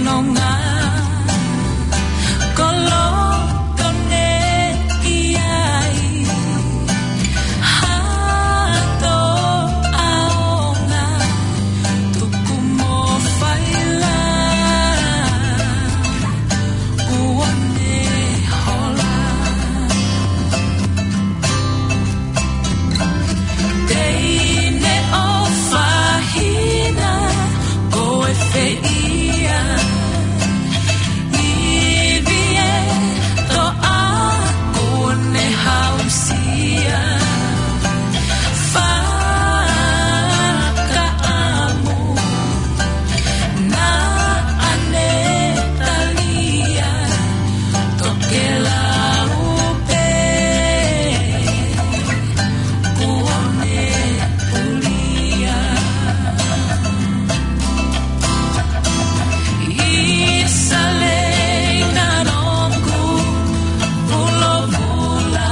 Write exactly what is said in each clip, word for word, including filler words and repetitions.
Nonga, koloto ne ʻi ai, hato aonga, tuku mo faila, kuo ne hola. Teine ʻofa hina, ko e feia. Ivi e toʻa, kuo ne hausia. Fakaʻamu, naʻa ne talia, tokelau pē, kuo ne pulia. Isalei na nongu, vulavula.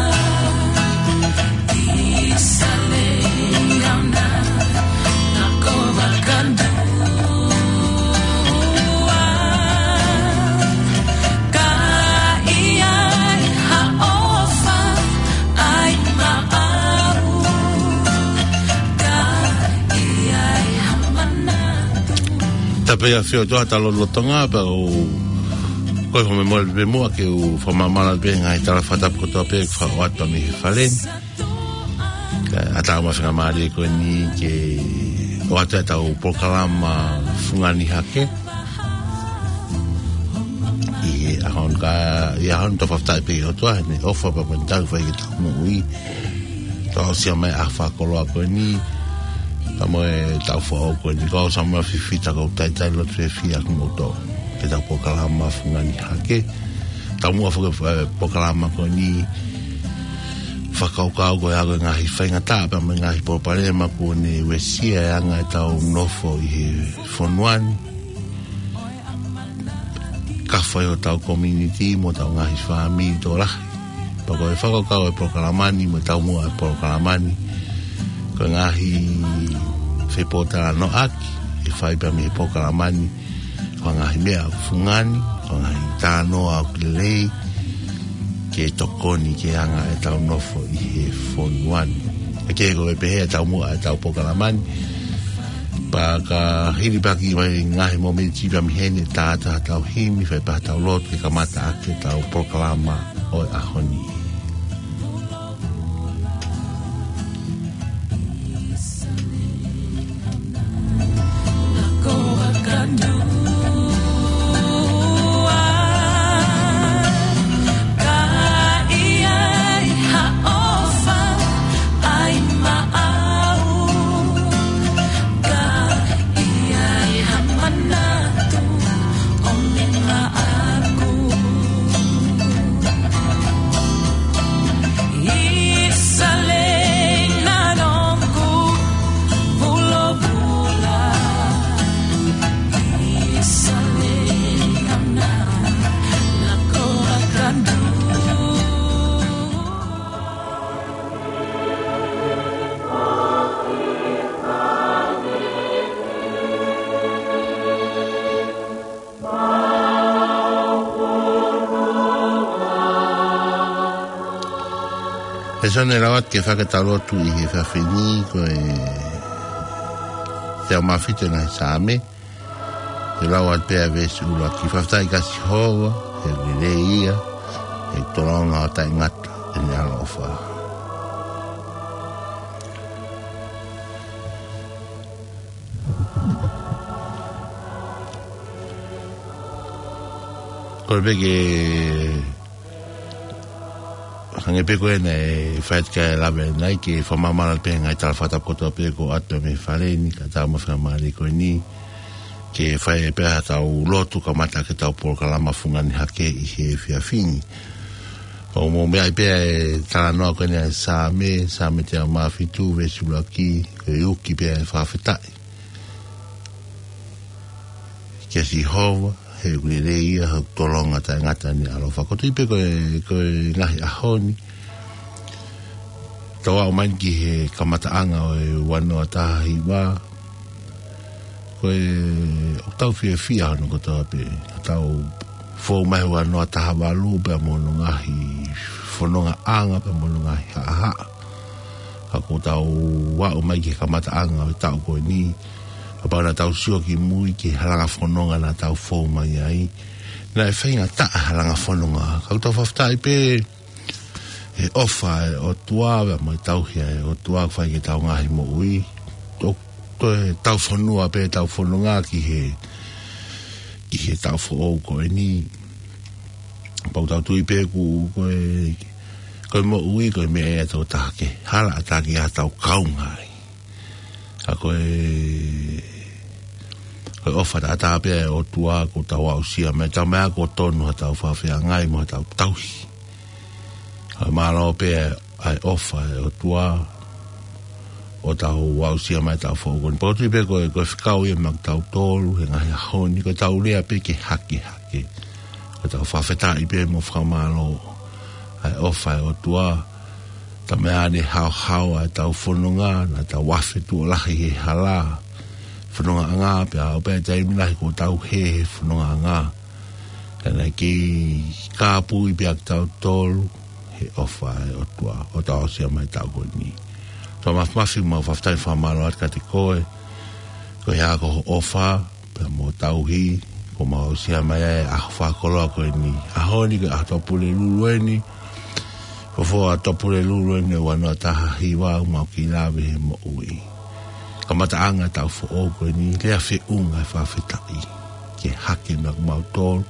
Tapu ia fio toa ta lolotonga pea u ko e fo me mole pe mua ke u fakamāmala pē ngaahi tala fakatapu kotoa pē ʻoku ʻoatu mei he fale ni. Ka ʻatā mo e fakamālō ko eni ke ʻoatu ʻetau polokalama fungani hake. ʻI he ʻaho ni ka, ʻi he ʻaho ni tau fakafetaʻi pē ki he ʻOtua, heʻene ʻofa pea mo ʻene tauhi fai ki heʻetau moʻui. Tau aʻusia mai ʻa e fakakoloa ko eni, pea mo ʻetau foʻou ko eni, ko au Samuela Fifita, ko u talitali lotu fiefia kimoutolu. Ke tau polokalama fungani hake. Taumuʻa foki e polokalama ko eni, fakakaukau ko e ʻa e ngaahi faingataʻa pea mo e ngaahi palopalema kuo ne uesia e anga ʻetau nofo ʻi he fonua ni. Ka fai ʻo ʻetau community mo ʻetau ngaahi fāmili tokolahi. Pea ko e fakakaukau e polokalama ni mo e taumuʻa e polokalama ni, ko e ngaahi fepōtalanoaʻaki ʻe fai pea mei he polokalama ni, ko e ngaahi meʻa ʻoku fungani, ko e ngaahi talanoa ʻoku lelei, ke tokoni ki he anga ʻetau nofo ʻi he fonua ni. ʻA ia ko e pehē ʻa e taumuʻa ʻetau polokalama ni. Pea ka hilifaki mai ngaahi momeniti pea mei heni, tā atu haʻatau himi, fai pē haʻatau lotu ke kamata ʻaki ʻetau polokalama ʻo e ʻaho ni. He sone lau atu ke fakataha lotu ʻi he efiafi ni ko e teau mā fitu ʻo e ngaahi Saame. Te u lau atu pē ʻa e veesi ʻuluaki. Fakafetaʻi kia Sihova, he ʻoku lelei ia, he ʻoku tolonga ʻo taʻengata ʻene ʻaloʻofa. Kole pē ke hangē pē ko ena ʻe fai atu ki ai e lave ʻanenai, ke fakamāmala pē ngaahi tala fakatapu kotoa pē ʻoku ʻoatu mei he fale ni, kae ʻatā mo e fakamālō ko eni, ke fai pē haʻatau lotu kamata ʻaki ʻetau polokalama fungani hake ʻi he efiafi ni. ʻOku mou meaʻi pē ʻa e talanoa ko eni ʻa e Saame, Saame teau mā fitu, veesi ʻuluaki, ko e uki pē ʻa e fakafetaʻi kia Sihova, he ʻoku lelei ia, he ʻoku tolonga taʻengata ʻene ʻaloʻofa. Ko e tui pē ko e, ko e ngaahi ʻaho ni, tau aʻu mai ki he kamataʻanga ʻo e ua noa taha hiva, ko ʻOku tau fiefia hono kotoa pē. Tau fou mai he ua noa taha valu pea mo hono ngaahi fonongaʻanga pea mo hono ngaahi haʻahaʻa. Ka kuo tau aʻu mai ki he kamataʻanga ʻo e taʻu ko eni. Kapau naʻa tau sio ki mui ki he halanga fononga naʻa tau fou mai ai. Naʻe faingataʻa halanga fononga. Ka ʻoku tau fakafetaʻi pē he ʻofa ʻa e ʻOtua, pea mo e tauhi ʻa e ʻOtua ʻoku fai ki heʻetau ngaahi moʻui. Toe, toe tau fonua pē ʻetau fononga ki he, ki he taʻu foʻou ko eni. Pea ʻoku tau tui pē ʻoku, ko e, ko e moʻui, ko e meʻa ia ʻe taha ke hala ʻatā ki ai ʻetau kaungā ai. Ka ko e, ko e ʻofa taʻataʻa pē ʻa e ʻOtua ʻoku tau aʻusia mai, talamai kuo tonu haʻatau fakafeangai mo haʻatau tauhi. Ka ʻoku mālō pē ʻa e ʻofa ʻa e ʻOtua ʻoku tau aʻusia mai he taʻu foʻou ko eni. Pea ʻoku ou tui pē ko e, ko e fekau ia maʻa kitautolu he ngaahi ʻaho ni, ko ʻetau lea pē ke hakehake. Ko ʻetau fakafetaʻi pē mo fakamālō ʻa e ʻofa ʻa e ʻOtua. Talamai naʻe haohaoa ʻetau fononga, naʻa tau afe tuʻo lahi he hala fonongaʻanga, pea aʻu pē taimi lahi kuo tau hē he fonongaʻanga. Ka naʻe kei kāpui pē ʻa kitautolu he ʻofa ʻa e ʻOtua ʻoku tau aʻusia mai he taʻu ko eni. Toa Mafimafi, mau fakafetaʻi fakamālō atu kiate koe, ko e hā ko hoʻo ʻofa pea mo e tauhi, kuo mau aʻusia mai ai ʻa e ʻaho fakakoloa ko eni. ʻAho ni ko e ʻaho Tuʻapulelulu eni. Ko e foʻi ʻaho Tuʻapulelulu eni ʻo e ua noa taha hiva ʻoku mau kei lave he moʻui. Kamataʻanga ʻo e taʻu foʻou ko eni, lea feʻunga ʻo e fakafetaʻi ke hake maʻa kimautolu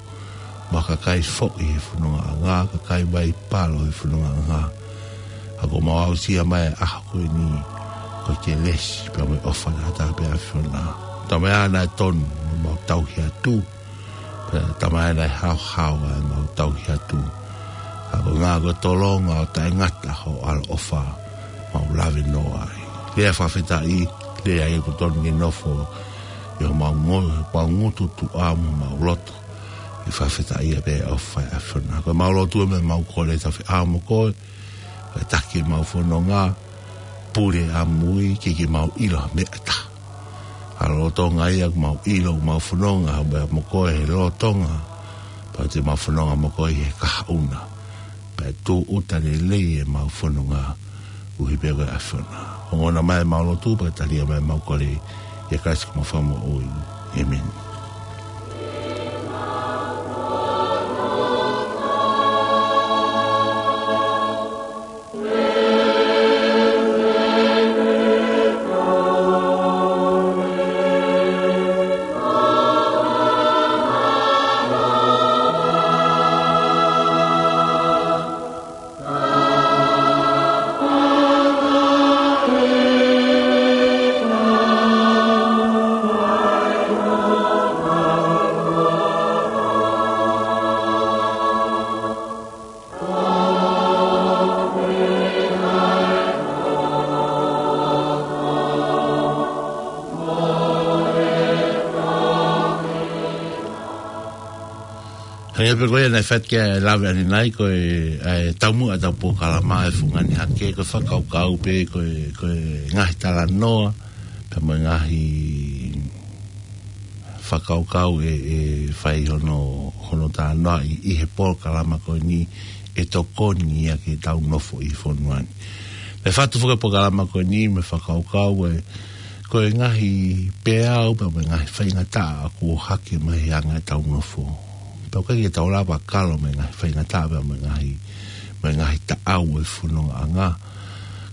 mo e kakai foʻi he fonongaʻanga, kakai Vaipalo he fonongaʻanga. Ka kuo mau aʻusia mai ʻa e ʻaho ko eni, ko e kelesi pea mo e ʻofa taʻataʻa pē ʻa e ʻAfiona. Talamai naʻe tonu ʻemau tauhi atu, pea talamai naʻe haohaoa ʻemau tauhi atu. Ka ko e ngaahi ko e tolonga ʻo taʻengata hoʻo ʻaloʻofa, mau lave noa ai. Lea fakafetaʻi, lea ia ʻoku tonu ke nofo ʻi homau ngo-, homau ngutu tuʻa mo homau loto. ʻI he fakafetaʻi pē ʻa e ʻofa ʻa e ʻAfiona. Ko ʻemau lotu mo ʻemau kole, tau feʻao mo koe, ʻo taki ʻemau fononga, pule ʻamui, ke ke mau ʻilo ha meʻa ʻe taha. Ka lolotonga ia ʻoku mau ʻilo ʻoku mau fononga, ʻa e mo koe he lolotonga, pea te mau fononga mo koe he kahaʻu na. Pea tūʻuta lelei ʻemau fononga, ʻuhi pē ko e ʻAfiona. Ongona mai ʻemau lotu, pea talia mai ʻemau kole, ʻia Kalaisi ko homau Fakamoʻui. ʻĒmeni. Hangē pē ko ia naʻe fai atu ki ai e lave ʻanenai, ko e, ʻa e taumuʻa ʻetau polokalama ʻa e Fungani Hake, ko e fakakaukau pē, ko e, ko e ngaahi talanoa, pea mo e ngaahi fakakaukau ʻe, ʻe fai hono, hono talanoaʻi ʻi he polokalama ko eni ʻe tokoni ia ki heʻetau nofo ʻi he fonua ni. Naʻe fatu foki e polokalama ko eni mo e fakakaukau ʻe, ko e ngaahi peau pea mo e ngaahi faingataʻa ʻoku ʻohake mai he anga ʻetau nofo. Pea ʻoku ʻikai ke tau lava kalo mo e ngaahi faingataʻa pea mo e ngaahi, mo e ngaahi taʻau ʻo e fonongaʻanga.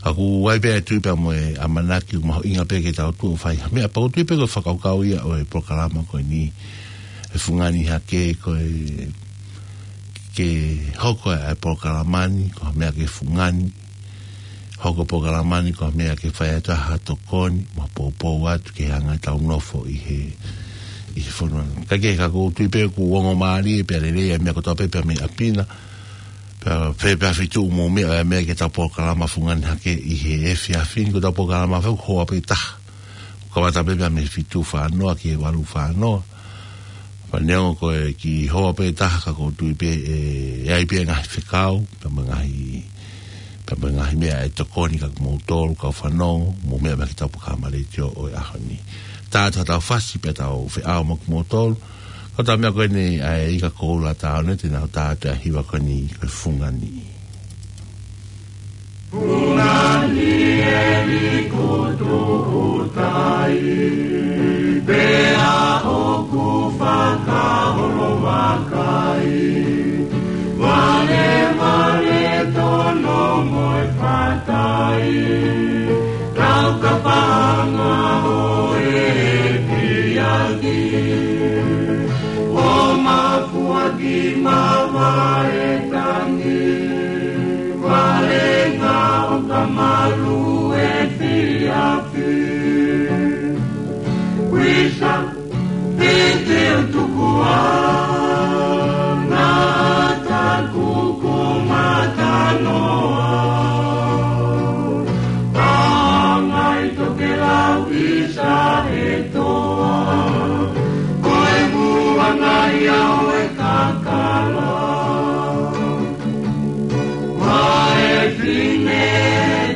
Ka ʻoku ʻi ai pē ʻa e tui pea mo e ʻamanaki ʻoku mahuʻinga pē ke tau tuʻu ʻo fai ha meʻa, pea ʻoku ou tui pē ko e fakakaukau ia ʻo e polokalama ko eni, e Fungani Hake, ko e ke hoko ʻa e polokalama ni ko ha meʻa ke fungani, hoko e polokalama ni ko ha meʻa ke fai atu ha tokoni, mo poupou atu ki he anga ʻetau nofo ʻi he, ʻi he fonua ni. Ka ke, ka ʻoku ou tui pē ʻoku ongo mālie pea lelei ʻa e meʻa kotoa pē, pea mei ʻapi na, pea, pea, pea feituʻu mo e meʻa, ʻa e meʻa ki heʻetau polokalama Fungani Hake ʻi he efiafi ni, ko ʻetau polokalama fau hoa pē taha. Kamata pē pea mei he fitu fā noa ki he valu fā noa. Pea neongo ko e kiʻi hoa pē taha ka ʻoku ou tui pē ʻe, ʻe ʻi ai pē ngaahi fekau, pea mo e ngaahi, pea mo e ngaahi meʻa ʻe tokoni kia moutolu, kau fanongo, mo e meʻa mai ki heʻetau polokalama letiō ʻo e ʻaho ni. tā atu ha tau fasi pea tau feʻao mo kimoutolu. Ko e taimi ko eni ʻa e ika koula tā one te nau tā atu ʻa e hiva ko eni ko e Fungani. Fungani e likutu utai, pea ʻoku fakaholovakai, vale vale tono mo e fatai, tau kapanga ʻo e kiaki, ʻo mafuaki mavae tangi, vale ngā ʻoka malu e fiafi. Wisa, pete utukua, nata kuku matanoa. Pangai tokelau isa e toa, ko e muangai au e kakala. Vae fine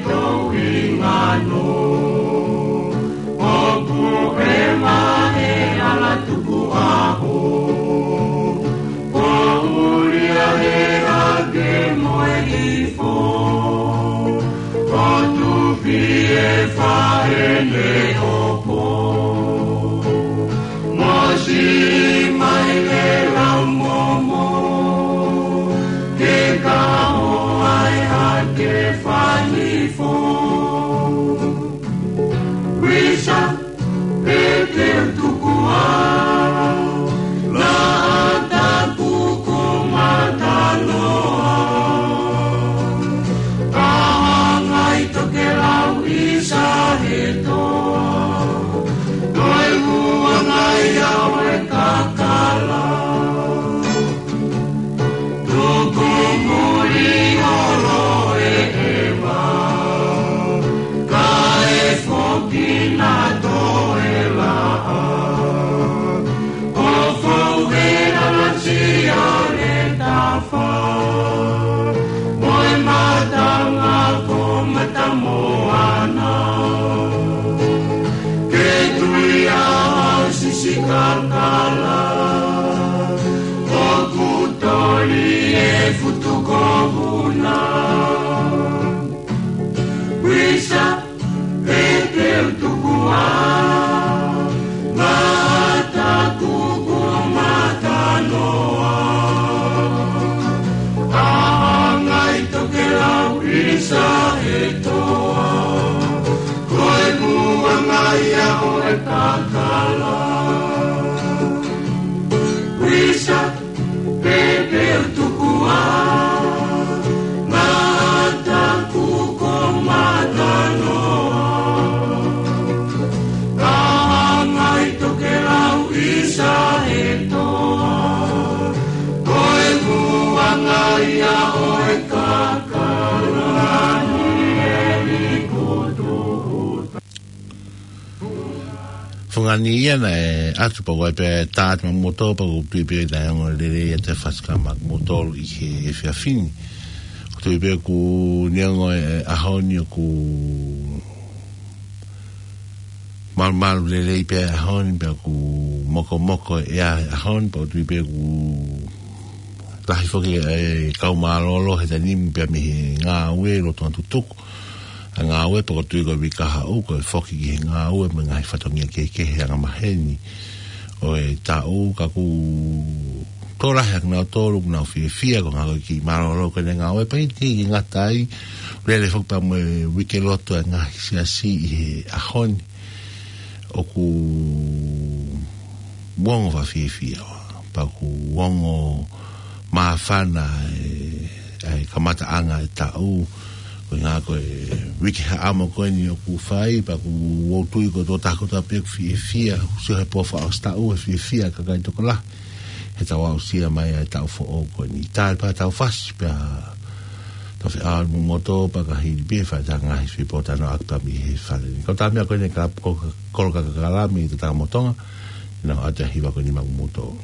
tou ingano, ʻoku ʻema e ala tuku aho, ko ulia e ake mo e ifo, ko tufi e faene opo. Mosi mai le lau momo, ke ka o ai a ke fanifo. Wisa, pete utukua, la ata kuku matanoa. Kahangai tokelau isa e toa, ko e muangai au e kakala. Tuku muli olo e ʻeva, kae foki na toe laʻa. ʻO fou e alasi ʻo e tafa, mo e matanga ko matamoana. Ke tui a sisi kakala, ʻoku toli e futu ko vuna. Wisa, pete utukua, ngata kuku matanoa. Kahangai tokelau isa e toa, ko e muangai au e kakala. Wisa, pete utukua, ngata kuku matanoa. Kahangai tokelau isa e toa, ko e muangai au e kakala. Fungani e likutu utai. Fungani ia naʻe ʻatu pea ʻoku ʻai pē tā atu maʻamoutolu pea ʻoku ou tui pē naʻe ongo lelei ʻa e fasi ka maʻamoutolu ʻi he efiafi ni. ʻOku ou tui pē ʻoku neongo e ʻaho ni ʻoku malumalu lelei pē ʻaho ni pea ʻoku mokomoko e ʻaho ni pea ʻoku ou tui pē ʻoku lahi foki e kau mālōlō he taimi ni pea mei he ngāue loto ʻa tutuku ʻa e ngāue pea ʻoku ou tui ko e uike kahaʻu ko e foki ki he ngāue mo e ngaahi fatongia kehekehe angamaheni ʻo e taʻu ka ʻoku tokolahi ʻa kinautolu ʻoku nau fiefia ko e ngāue ki mālōlō ko eni ngāue pea ʻikai ke ngata ai lele foki pea mo e uike lotu ʻa e ngaahi siasi ʻi he ʻaho ni. ʻOku ongo fakafiefia pea ʻoku ongo māfana e, e kamataʻanga e taʻu. Ko e ngā ko e uike haʻamo ko eni ʻoku fai pea ʻoku ou tui ko e tokotaha kotoa pē ʻoku fiefia, ʻoku sio he pō fakaʻosi taʻu ʻe fiefia kakai tokolahi he tau aʻusia mai ʻa e taʻu foʻou ko eni. Tali pea tau fasi pea tau feʻao mo moutolu pea ka hili pē fai ta ngaahi sui pō tano ʻaki pea mei he fale ni. Ko e taimi ko eni ka ko kolo ka kakala mei he Tangata mo Tonga, naʻa ʻoatu e hiva ko eni maʻamoutolu.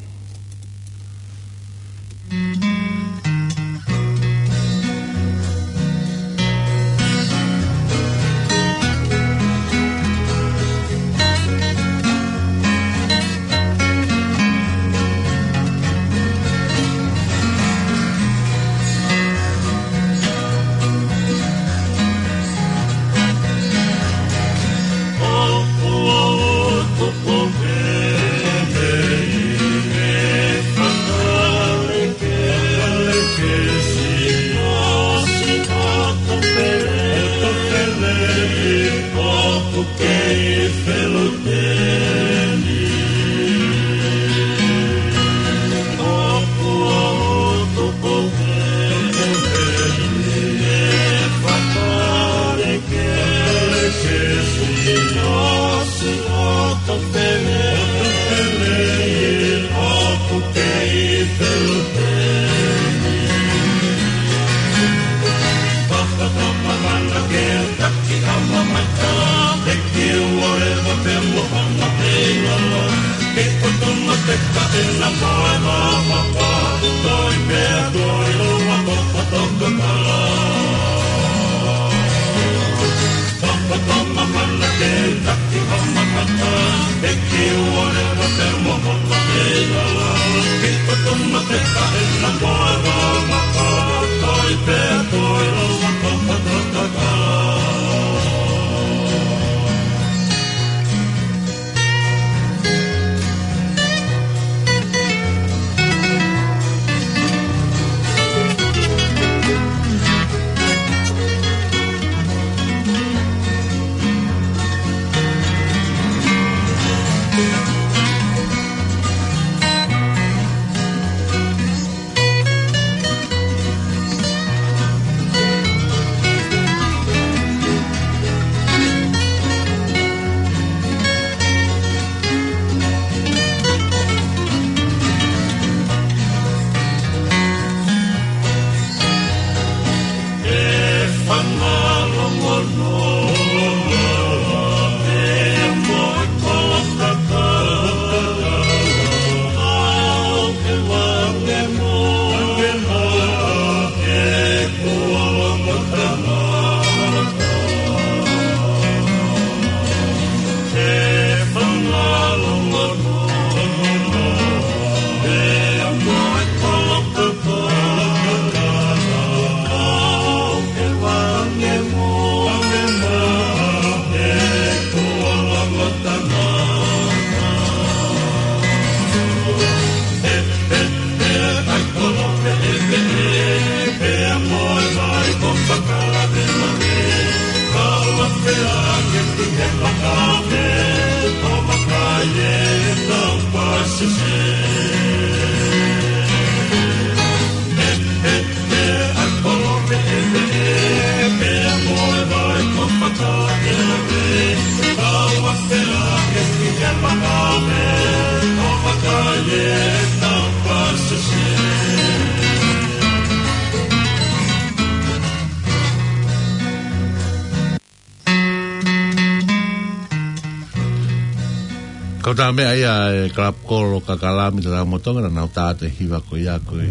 Ko e taha meʻa ia e kalapu kolo kakalami tata motonga na nau tāte hiva ko ia ko e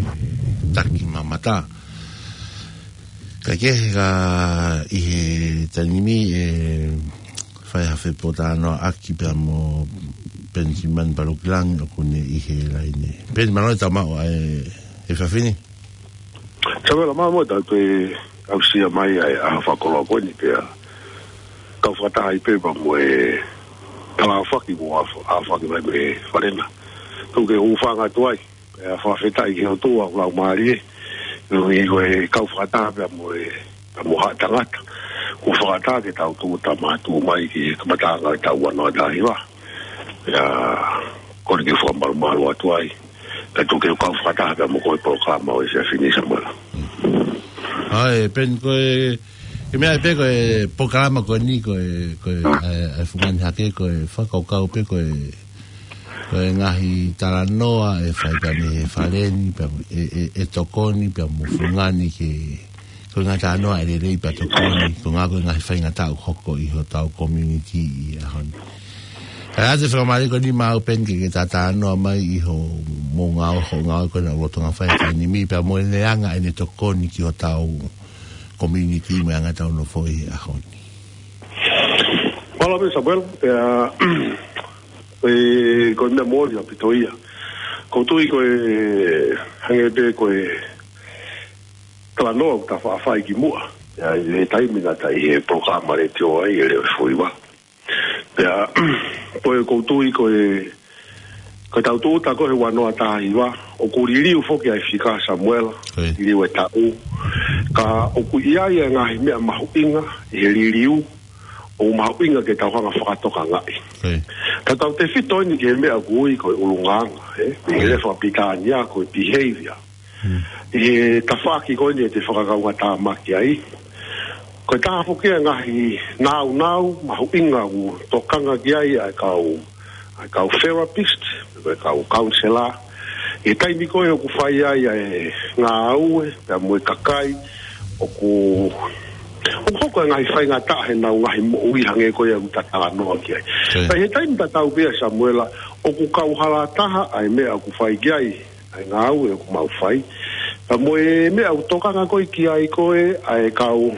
taki mamata. Ka ke ka ʻi he taimi ni e fai ha fepōtalanoaʻaki pea mo Penisimani Palukilangi ʻoku ne ʻi he laine. Peni, mālō e tau maʻu ʻa e, e fafini. Samuela, mālō e tau toe aʻusia mai ʻa e ʻaho fakakoloa ko eni pea kau fakataha ai pē pea mo e kalaʻofaki mo afa-, afaki mai mei Falena. Tuku ke u hūfanga atu ai. Pea fakafetaʻi ki he ʻOtua ʻoku laumālie. Nui ko e kau fakataha pea mo e, pea mo haʻa tangata. Ko e fakataha ke tau tūʻuta mātuʻu mai ki he kamataʻanga ʻo e taʻu ua noa taha hiva. Pea kole ke u fakamalumalu atu ai. Pea tuku ke u kau fakataha pea mo koe polokalama ʻo e efiafi ni, Samuela. ʻAi, Peni, ko e, e meʻa pē ko e polokalama ko eni ko e, ko e, ʻa e, ʻa e fungani hake ko e fakakaukau pē ko e, ko e ngaahi talanoa ʻe fai pea mei he Faleni, pea e, e, e tokoni, pea mo fungani ke, ko e ngaahi talanoa ʻe lelei pea tokoni, ko e ngaahi, ko e ngaahi faingataʻa ʻoku hoko ʻi hotau community ʻi he ʻaho ni. Ka ʻoatu e fakamālō ko eni maʻau Peni ke, ke ta talanoa mai ʻi hoʻomou ngāue, hoʻo ngāue ko ena ʻoku lolotonga fai he taimi ni, pea mo e leanga ʻene tokoni ki hotau community mo e anga ʻetau nofo ʻi he ʻaho ni. Mālō pē Samuela, pea, e, ko e meʻa moʻoni ʻaupito ia. ʻOku ou tui ko e, hangē pē ko e talanoa ʻoku ta faʻa fai kimuʻa. Ia, ʻi he taimi naʻa ta ʻi he polokalama letiō ai, ʻi he Leʻo ʻo e Fuiva. Pea, ko e ʻoku ou tui ko e, ko e tau tūʻuta ko ē he ua noa taha hiva, ʻoku liliu foki ʻa e fika Samuela, ʻOi. liliu e taʻu. Ka ʻoku ʻi ai e ngaahi meʻa mahuʻinga ʻi he liliu, ʻoku mahuʻinga ke tau hanga fakatokangaʻi. ʻOi. Ka tau tefito eni ki he meʻa ʻoku ui ko e ʻulungaanga, ē? ʻI he lea fakapilitānia ko e behavior. ʻI he tafaʻaki ko eni ʻe te fakakaungātāmaki ai. Ko e taha foki e ngaahi nāunau mahuʻinga ʻoku tokanga ki ai ʻa e kau, ʻa e kau therapist, ko e kau counselor. ʻI he taimi ko ē ʻoku fai ai ʻa e ngāue, pea mo e kakai, ʻoku, ʻoku hoko e ngaahi faingataʻa heʻenau ngaahi moʻui hangē ko ia ʻoku ta talanoa ki ai. Ka ʻi he taimi tatau pē ia Samuela, ʻOku kauhala taha ʻa e meʻa ʻoku fai ki ai ʻa e ngāue ʻoku mau fai, pea mo e meʻa ʻoku tokanga ko ē ki ai ko ē ʻa e kau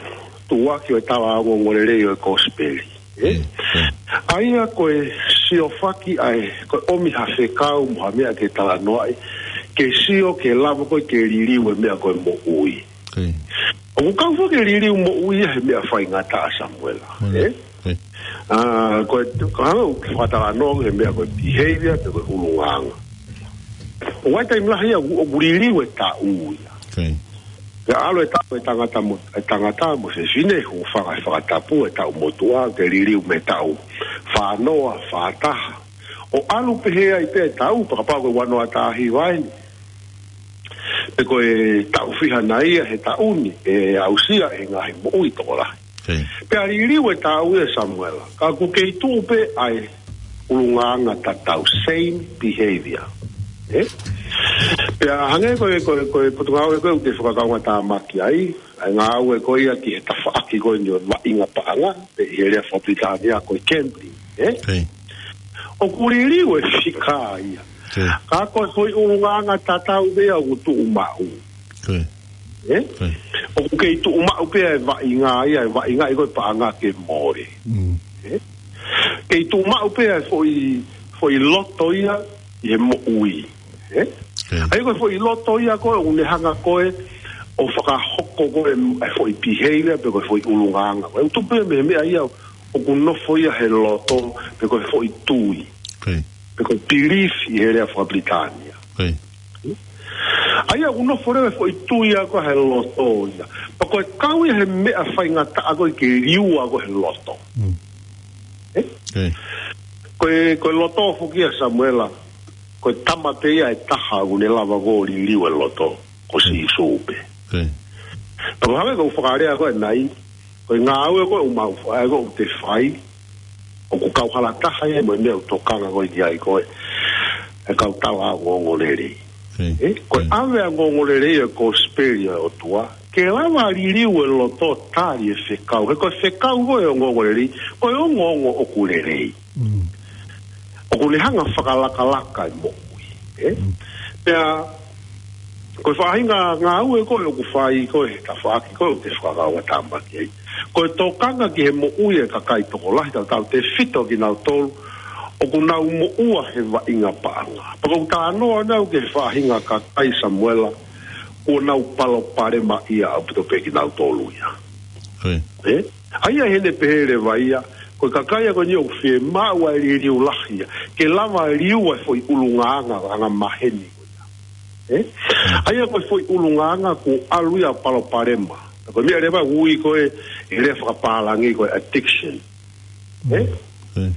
tuʻuaki ʻo e tala ongoongolelei ʻo e kosipeli. ʻE? ʻE, ʻe. ʻA ia ko e siofaki ʻa e, ko e ʻomi ha fekau mo ha meʻa ke talanoaʻi, ke sio ke lava ko ē ke liliu e meʻa ko e moʻui. ʻE. ʻOku kau foki e liliu moʻui ia he meʻa faingataʻa, Samuela. ʻE? ʻE. ʻA, ko e, ko e hanga ʻo fakatalanoa he meʻa ko e behavior, pe ko e ʻulungaanga. ʻOku ʻi ai e taimi lahi ia ʻoku, ʻoku liliu e taʻu ia. ʻE. Pea ʻalu e taʻu e tangata mo, e tangata mo e fefine, hūfanga he fakatapu, e taʻu motuʻa, ke liliu mei he taʻu fānoa, fātaha. ʻO ʻalu pehē ai pē e taʻu, pea kapau ko e uanoa taha hiva eni. Pe ko e taʻu fiha nai ia he taʻu ni, ʻe aʻusia ʻe he ngaahi moʻui tokolahi. ʻE. Pea liliu e taʻu ia, Samuela. Ka ʻoku kei tuʻu pē ʻa e ʻulungaanga tatau, same behavior. ʻE? Pea hangē ko e, ko e, ko e potungāue ko ē ʻoku te fakakaungātāmaki ai, ʻa e ngāue ko ia ki he tafaʻaki ko eni ʻo e vaʻinga paʻanga, pe ʻi he lea fakapilitānia ko e gambling. ʻE? ʻE. ʻOku liliu e fika ia. ʻE. Ka ko e foʻi ʻulungaanga tatau pē ia ʻoku tuʻu maʻu. ʻE. ʻE? ʻE. ʻOku kei tuʻu maʻu pē ʻa e vaʻinga ia, e vaʻinga ia ko e paʻanga ke mole. Mm. ʻE? Kei tuʻu maʻu pē ʻa e foʻi, foʻi loto ia ʻi he moʻui. ʻE? ʻE. ʻA ia ko e foʻi loto ia ko ē ʻoku ne hanga ko ē ʻo fakahoko ko ē e foʻi behavior pe ko e foʻi ʻulungaanga. Ko e tupu ia mei he meʻa ia ʻoku nofo ia he loto, pe ko e foʻi tui. ʻE. Pe ko e belief ʻi he lea fakapilitānia. ʻE. ʻA ia ʻoku nofo leva e foʻi tui ia ko ē he loto ia. Pea ko e kau ia he meʻa faingataʻa ko ē ke liua ko ē he loto. Mm. ʻE? ʻE. Ko e, ko e loto foki ia, Samuela, ko e tama pē ia ʻe taha ʻoku ne lava ko ē ʻo liliu e loto, ko ʻE. Sīsū pē. ʻE. Pea ko e hangē ko e fakalea ko ē ʻanenai, ko e ngāue ko ē ʻoku mau fai, ko ē ʻoku te fai, ʻoku kauhala taha ia mo e meʻa ʻoku tokanga ko ē ki ai ko ē e kau tala ongoongolelei. ʻE. ʻE, ko e ʻE. ʻAve ʻa e ongoongolelei ʻo e kosipeli ʻa e ʻOtua, ke lava liliu e loto tali e fekau. He ko e fekau ko ē ʻo e ongoongolelei, ko e ongoongo ʻoku lelei. Mm. ʻOku ne hanga fakalakalaka e moʻui. ʻE? Mm. Pea, ko e faʻahinga ngāue ko ē ʻoku fai ko ē he tafaʻaki ko ē ʻoku te fakakaungātāmaki ai. Ko e tokanga ki he moʻui e kakai tokolahi, tautautefito kinautolu ʻoku nau moʻua he vaʻinga paʻanga. Pea ʻoku ou talanoa ʻanenai ki he faʻahinga kakai, Samuela, ʻoku nau palopalema ia ʻaupito pē kinautolu ia. ʻE. ʻE? ʻA ia ʻi heʻene pehē leva ia, ko e kakai ia ko eni ʻoku fiemaʻu ʻa e liliu lahi ia, ke lava liua e foʻi ʻulungaanga, anga maheni ko ia. ʻE? ʻA ia ko e foʻi ʻulungaanga kuo ʻalu ia ʻo palopalema. Ko e meʻa leva ʻoku ui ko ē, ʻi he lea fakapālangi ko e addiction. ʻE? ʻE.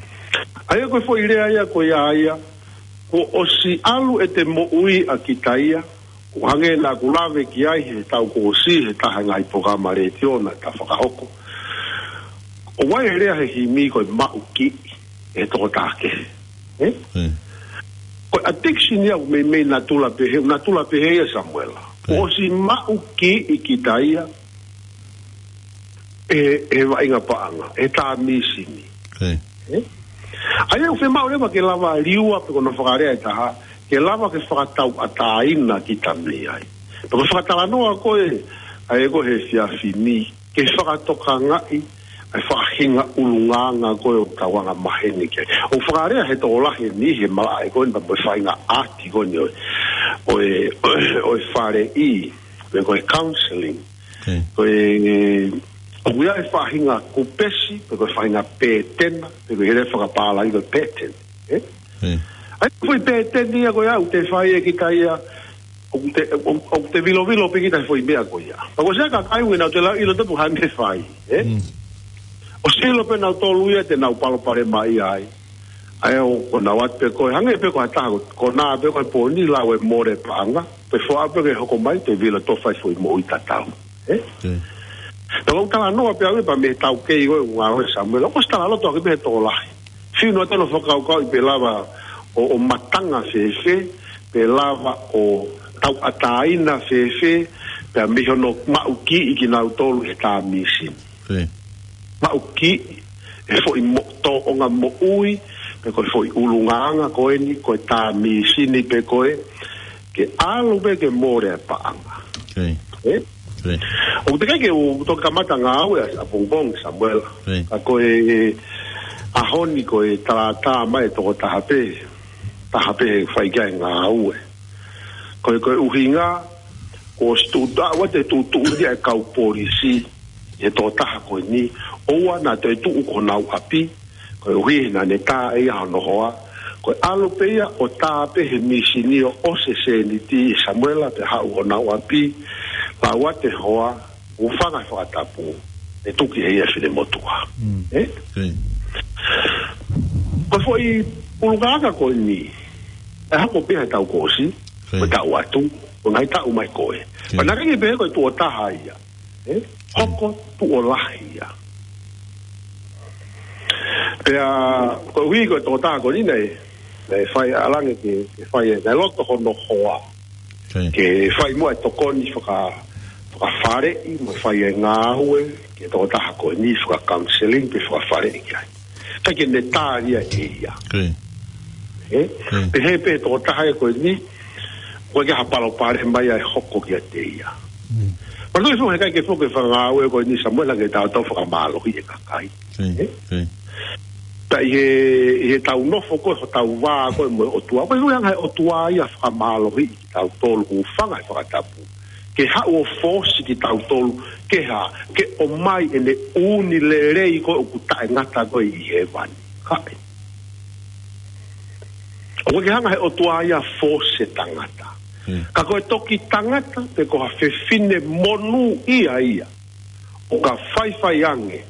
ʻA ia ko e foʻi lea ia ko ia ia, kuo ʻosi ʻalu ʻete moʻui ʻa kita ia, ʻo hangē naʻa ku lave ki ai he taʻu kuo ʻosi, he taha e ngaahi polokalama letiō naʻa ta fakahoko. ʻOku ʻi ai e lea he himi ko e maʻu kiʻi ʻe he tokotaha kehe. ʻE? ʻE. Ko e addiction ia ʻoku meimei natula pehē, natula pehē ia, Samuela. ʻE. Kuo ʻosi maʻu kiʻi kita ia ʻe, ʻe he vaʻinga paʻanga, ʻe he tā mīsini. ʻE. ʻE? ʻA ia ʻoku fiemaʻu leva ke lava liua pe ko hono fakalea ʻe taha, ke lava ke fakatauʻatāina kita mei ai. Pea ko e fakatalanoa ko ē, ʻa ia ko ē he efiafi ni, ke fakatokangaʻi ʻa e faʻahinga ʻulungaanga ko ē ʻoku tau anga maheni ki ai. ʻOku fakalea he tokolahi ʻe niʻihi he malaʻe ko eni pea mo e faʻahinga ʻaati ko eni ʻo e, ʻo e, ʻo e, ʻo e faleʻi, pe ko e counseling. ʻE. Ko e, ʻoku ʻi ai e faʻahinga kupesi, pe ko e faʻahinga pētena, pe ko e lea fakapālangi ko e pattern. ʻE? ʻE. ʻA ia ko e foʻi pēteni ia ko ia ʻoku te fai ʻe kita ia, ʻoku te, ʻoku, ʻoku te vilovilo pē kita he foʻi meʻa ko ia. Pea ko e siʻi kakai ʻoku nau ʻiloʻilo tapu ha meʻa ʻe fai, ʻe? Mm. ʻOsi ʻilo pē nautolu ia te nau palopalema ia ai. ʻA ia ʻoku nau ʻoatu pē ko ē, hangē pē ko ha taha, ko ē naʻa pē ko e pōni lau e mole paʻanga, pea foʻi pē ke hoko mai, te vilo tofa e foʻi moʻui tatau. ʻE? ʻE. Pea ʻoku ou talanoa pē au ia pea mei he taukei ko ē ʻoku ngāue, Samuela, ʻoku ʻosi talaloto ʻaki pē he tokolahi. Fiu noa tonu fakakaukauʻi pe lava ʻo, ʻo matanga fēfē, pe lava ʻo tauʻatāina fēfē, pea mei hono maʻu kiʻi kinautolu he tā mīsini. ʻE. Maʻu kiʻi e foʻi mo-, tōʻonga moʻui, pe ko e foʻi ʻulungaanga ko eni, ko e tā mīsini pē ko ē, ke ʻalu pē ke mole e paʻanga. Ē? ʻOku teʻeki ke u toki kamata ngāue ʻapongipongi, Samuela. Ka ko e ʻaho ni ko e talatā mai e tokotaha pē, taha pē fai ki ai e ngāue. Ko e, ko e ʻuhinga, ko e tuʻu, ʻoua te tuʻutuʻuni e kau polisi, e tokotaha ko eni, ʻoua naʻa toe tuʻu ki honau ʻapi, koeʻuhi naʻa ne tā ʻe ia hono hoa, ko e ʻalu pē ia ʻo tā pē he mīsini ʻo ʻosi e sēniti, Samuela, pea haʻu honau ʻapi, lau atu e hoa, hūfanga he fakatapu, ʻe tuki ʻe ia e finemotuʻa. Ē? Ko e foʻi ʻulungaanga ko eni, ʻe hoko pē he taʻu kuo ʻosi, ko e taʻu atu, ko e ngaahi taʻu mai ko ē. Pea naʻe ʻikai ke pehē ko e tuʻo taha ia. Ē? Hoko tuʻo lahi ia. Pea, koeʻuhi ko e tokotaha ko eni naʻe, naʻe fai ʻalu ange ke, ke fai e, naʻe loto hono hoa. Ke fai muʻa e tokoni faka-, fakafaleʻi, mo fai e ngāue, ki he tokotaha ko eni faka-counseling pe fakafaleʻi ki ai. Ka ke ne tālia ʻe ia. Ē? Pehē pē tokotaha ia ko eni, ʻoku ʻikai ha palopalema ia ʻe hoko kiate ia. Pea ko e foʻi heʻikai ke foki e fakangāue ko eni, Samuela, ke tau tau fakamālohi e kakai. Ē? Pea ʻi he, ʻi heʻetau nofo ko ē, hotau vā ko ē mo e ʻOtua. Ko e ʻuhinga he ʻOtua ia fakamālohi kitautolu, hūfanga he fakatapu. Ke haʻu ʻo fōsi kitautolu, ke hā, ke ʻomai ʻene ʻū ni lelei ko ē ʻoku taʻengata ko ē ʻi hēvani. Kae. ʻOku ʻikai ke hanga he ʻOtua ia ʻo fōsi e tangata. Ka ko e toki tangata, pe ko ha fefine monūʻia ia. ʻO ka faifai ange,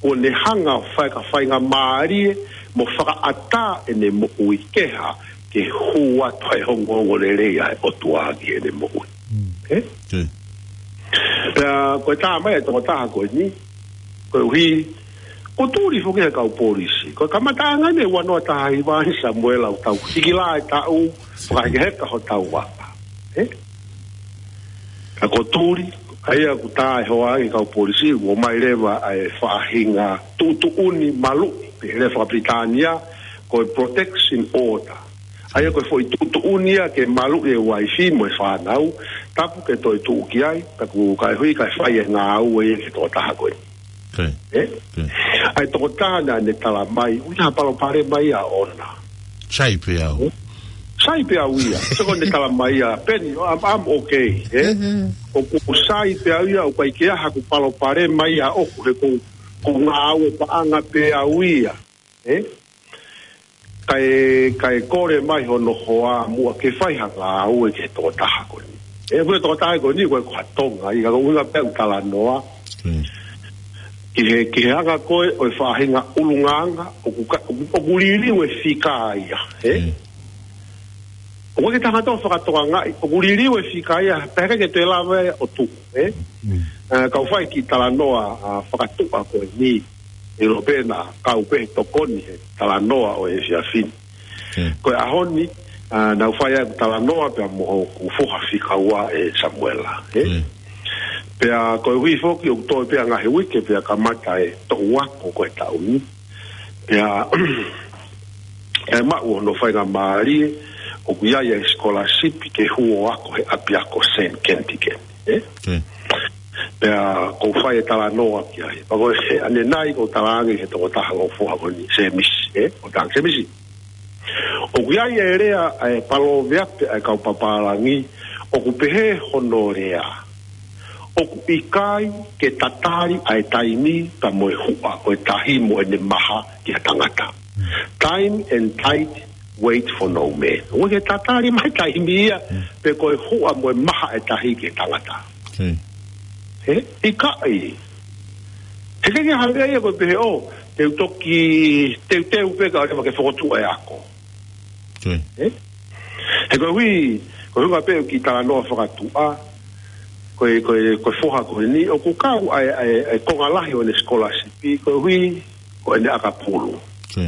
ʻo ne hanga ʻo fai ha faingamālie, mo fakaʻatā ʻene moʻui ke hā, ke hū atu ai e ongoongolelei ʻa e ʻOtua ki heʻene moʻui. Ē? Pea ko e tā mai e tokotaha ko eni, koeʻuhi, kuo tuli foki he kau polisi. Ko e kamataʻanga eni e ua noa taha hiva eni, Samuela, ʻo tau hiki lā e taʻu, fakahekeheka hotau vaka. Ē? Ka kuo tuli, ʻa ia ʻoku tā e hoa ange e kau polisi, ʻomai leva ʻa e faʻahinga tuʻutuʻuni maluʻi, pe lea fakapilitānia, ko e protection order. ʻA ia ko e foʻi tuʻutuʻuni ia ke maluʻi e uaifi mo e fānau, tapu ke toe tuʻu ki ai, taku kae hui kae fai e ngāue ia ki he tokotaha ko ē. Ē? ʻA e tokotaha naʻa ne tala mai, ʻoku ʻikai ha palopalema ia ʻoʻona. Sai pē au. Sai pē au ia. Sio ko ʻene tala mai ia, Peni, I'm, I'm okay. Ē? ʻOku sai pē au ia, ʻoku ʻikai ke ʻi ai haku palopalema ia ʻoʻoku he ʻoku ou ngāue paʻanga pē au ia. Ē? Kae, kae kole mai hono hoa muʻa ke fai ha ngāue ki he tokotaha ko eni. Ē, ko e tokotaha ko eni, ko e ko ha Tonga, ʻi he ʻuhinga pē ʻoku talanoa. Ki he, ki he anga ko ē ʻo e faʻahinga ʻulungaanga, ʻoku ka-, ʻoku, ʻoku liliu e fika ia, ē? ʻOku ʻikai ke tangata fakatokangaʻi, ʻoku liliu e fika ia, pea ʻikai ke toe lava ʻo tuʻu, ē? ʻA, kau fai ki talanoa, ʻa, fakatuʻa ko eni, ʻilo pē naʻa kau pē he tokoni he talanoa ʻo e efiafi ni. Ko e ʻaho ni, ʻa, naʻa ku fai ai ʻeku talanoa pea mo hoku foha fika ua ʻe Samuela, ē? Pea koeʻuhi foki ʻoku toe pē ʻa e ngaahi uike pea kamata e toʻu ako ko e taʻu ni. Pea, ʻe maʻu hono faingamālie, ʻoku ʻi ai e scholarship ke hū ʻo ako he ʻapiako Saint Kentigern, ē? Pea ʻoku ou fai e talanoa ki ai. Pea ko e ʻanenai ʻoku ou talaange ki he tokotaha ʻoku ou foha ko eni, Semisi, ē? ʻOku ou talaange, Semisi. ʻOku ʻi ai e lea ʻa e palōveape ʻa e kau papālangi, ʻoku pehē hono lea, ʻoku ʻikai ke tatali ʻa e taimi pea mo e huʻa ʻo e tahi mo ʻene maha ki ha tangata. Time and tide wait for no man. ʻOku ʻikai ke tatali mai e taimi ia, pe ko e huʻa mo e maha ʻo e tahi ki he tangata. Ē? ʻIkai. He ʻikai ke hanga ia ko e pehē ʻo, te u toki, teuteu pē kae ʻoua ke fokotuʻu e ako. Ē? He koeʻuhi, ko e ʻuhinga pē ʻoku ou talanoa fakatuʻa, ko e, ko e, ko e foha ko eni, ʻoku kau ai, ai, ai konga lahi ʻo ʻene scholarship, koeʻuhi, ko ʻene ʻakapulu. Ē?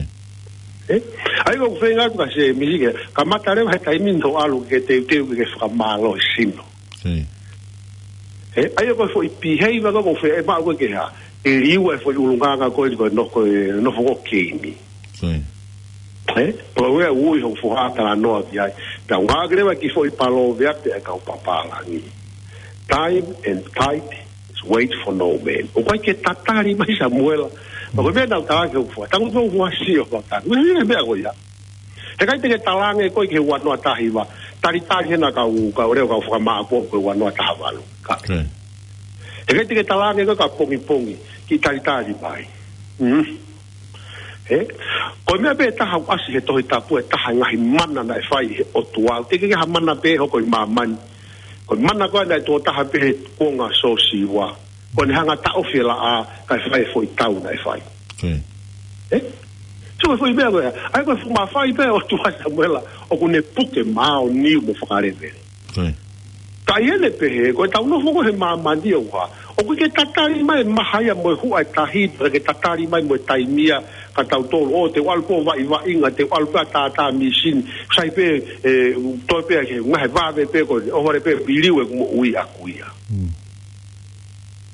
ʻA ia ʻoku ou feinga atu kia Semisi ke, kamata leva he taimi ni hoʻo ʻalu ke teuteu ke fakamālohi sino. Ē? ʻA ia ko e foʻi piheiva ko ē ʻoku ou feinga ʻe maʻu ko ē ke hā, ke liliu e foʻi ʻulungaanga ko ē ko e nofo, ko e nofo ko ē keimi. Ē? Pea ko e ui hoku foha talanoa ki ai. Pea u ngāueʻaki leva e kiʻi foʻi palōveape ʻa e kau papālangi. Time and tide is wait for no man. ʻOku ʻikai ke tatali mai Samuela. Pea ko e meʻa naʻa ku talaange ki hoku foha. Tangutu hoku foha, sio, pea u talaange. Meʻa, meʻa ko ia. Heʻikai te ke talaange koe ki he ua noa taha hiva. Talitali hena kau, kau leo kau fakamāʻopoʻopo ko e ua noa taha valu. Ka. Heʻikai te ke talaange koe ka pongipongi. Kiʻi talitali mai. Mm. Ē? Ko e meʻa pē ʻe taha ʻoku ʻasi he Tohi Tapu, ʻe taha e ngaahi mana naʻe fai he ʻOtua. Teʻeki ke ha mana pē hoko ʻi māmani. Ko e mana ko ē naʻe tuʻo taha pē he kuonga ʻo Siosiua. Ko ʻene hanga ʻo taʻofi e laʻā, kae fai e foʻi tau naʻe fai. Ē? So ko e foʻi meʻa ko ē. ʻA ia ko e fuʻu mafai pē ʻa e ʻOtua Samuela, ʻoku ne puke maʻoniʻoni mo fakalevele. Ka ʻi heʻene pehē, ko ʻetau nofo ko ē he māmani ʻoku hā. ʻOku ʻikai ke tatali mai e maha ia mo e huʻa e tahi, ʻikai ke tatali mai mo e taimi ia kia tautolu, ʻo te u ʻalu pē ʻo vaʻivaʻinga, te u ʻalu pē ʻo tātā mīsini, sai pē, ē, toe pē ke ngaahi vave pē ko ē, ʻohovale pē ʻeku liliu ʻeku moʻui ʻaʻaku ia.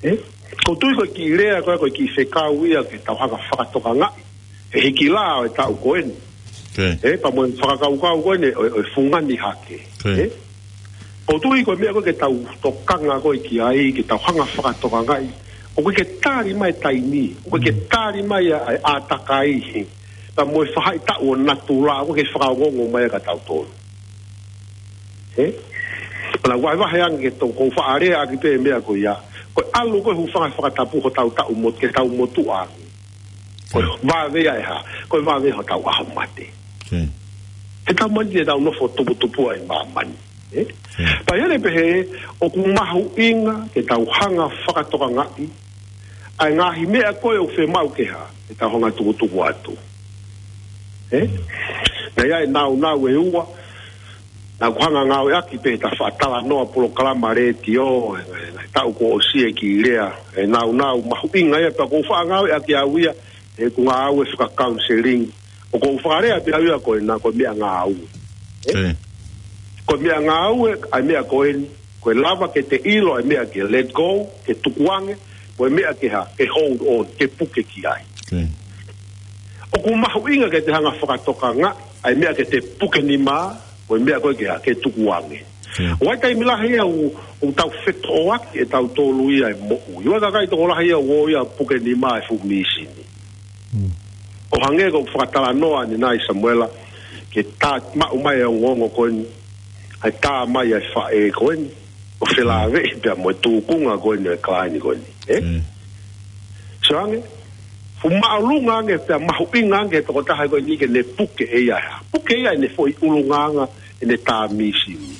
Ē? ʻOku ou tui ko e kiʻi lea ko ē, ko e kiʻi fekau ia ke tau hanga ʻo fakatokangaʻi. He hiki lā ʻo e taʻu ko eni. Ē, pea mo e fakakaukau ko eni, ʻo, ʻo e fungani hake. Ē? ʻOku ou tui ko e meʻa ko ē ke tau tokanga ko ē ki ai, ke tau hanga ʻo fakatokangaʻi. ʻOku ʻikai ke tali mai e taimi, ʻoku ʻikai ke tali mai ʻa e, ʻa e ʻātakai. Pea mo e faʻahitaʻu ʻo natula, ʻoku ʻikai ke fakaongoongo mai kia tautolu. Ē? Pea naʻa ku vahevahe ange ke tau, ʻoku ou faʻa leaʻaki pē meʻa ko ia. Ko e ʻalu ko ē hūfanga he fakatapu hotau taʻu mo, ke tau motuʻa. Ko e vave ia ʻe hā, ko e vave hotau ʻaho mate. He tau mani te tau nofo tuputupu ai ʻi māmani. Ē? Pea ʻi heʻene pehē, ʻoku mahuʻinga ke tau hanga ʻo fakatokangaʻi ʻa e ngaahi meʻa ko ē ʻoku fiemaʻu ke hā, ke tau hanga ʻo tukutuku atu. Ē? Naʻe ʻi ai e nāunau ʻe ua, naʻa ku hanga ʻo ngāueʻaki pē he tafaʻaki talanoa polokalama letiō, ē, ē, taʻu kuo ʻosi, e kiʻi lea, e nāunau mahuʻinga ia, pea ʻoku ou faʻa ngāueʻaki au ia, ʻi heʻeku ngāue faka-counseling. ʻOku ou fakalea pē au ia ko ena ko e meʻangāue. Ē? Ko e meʻangāue, ʻa e meʻa ko eni, ko e lava ke te ʻilo ʻa e meʻa ke let go, ke tukuange, ko e meʻa ke hā, ke hold on, ke puke ki ai. ʻOku mahuʻinga ke te hanga ʻo fakatokangaʻi ʻa e meʻa ke te puke nima, ko e meʻa ko ē ke hā, ke tukuange. ʻOku ʻi ai e taimi lahi ia ʻoku, ʻoku tau fetoʻoaki ʻe tautolu ia e moʻui. ʻOku ʻi ai e kakai tokolahi ia ʻoku ō ia ʻo puke nima e fuʻu mīsini. ʻO hangē ko e fakatalanoa ʻanenai Samuela, ke tā maʻu mai e ongoongo ko eni, ʻa e tā mai ʻa e faʻē ko eni, ʻo felāveʻi pea mo e tūkunga ko eni ʻo e client ko eni. Ē? So ange, fuʻu māʻolunga ange pea mahuʻinga ange he tokotaha ko eni ke ne puke ʻe ia. Puke ʻe ia ʻene foʻi ʻulungaanga, ʻene tā mīsini.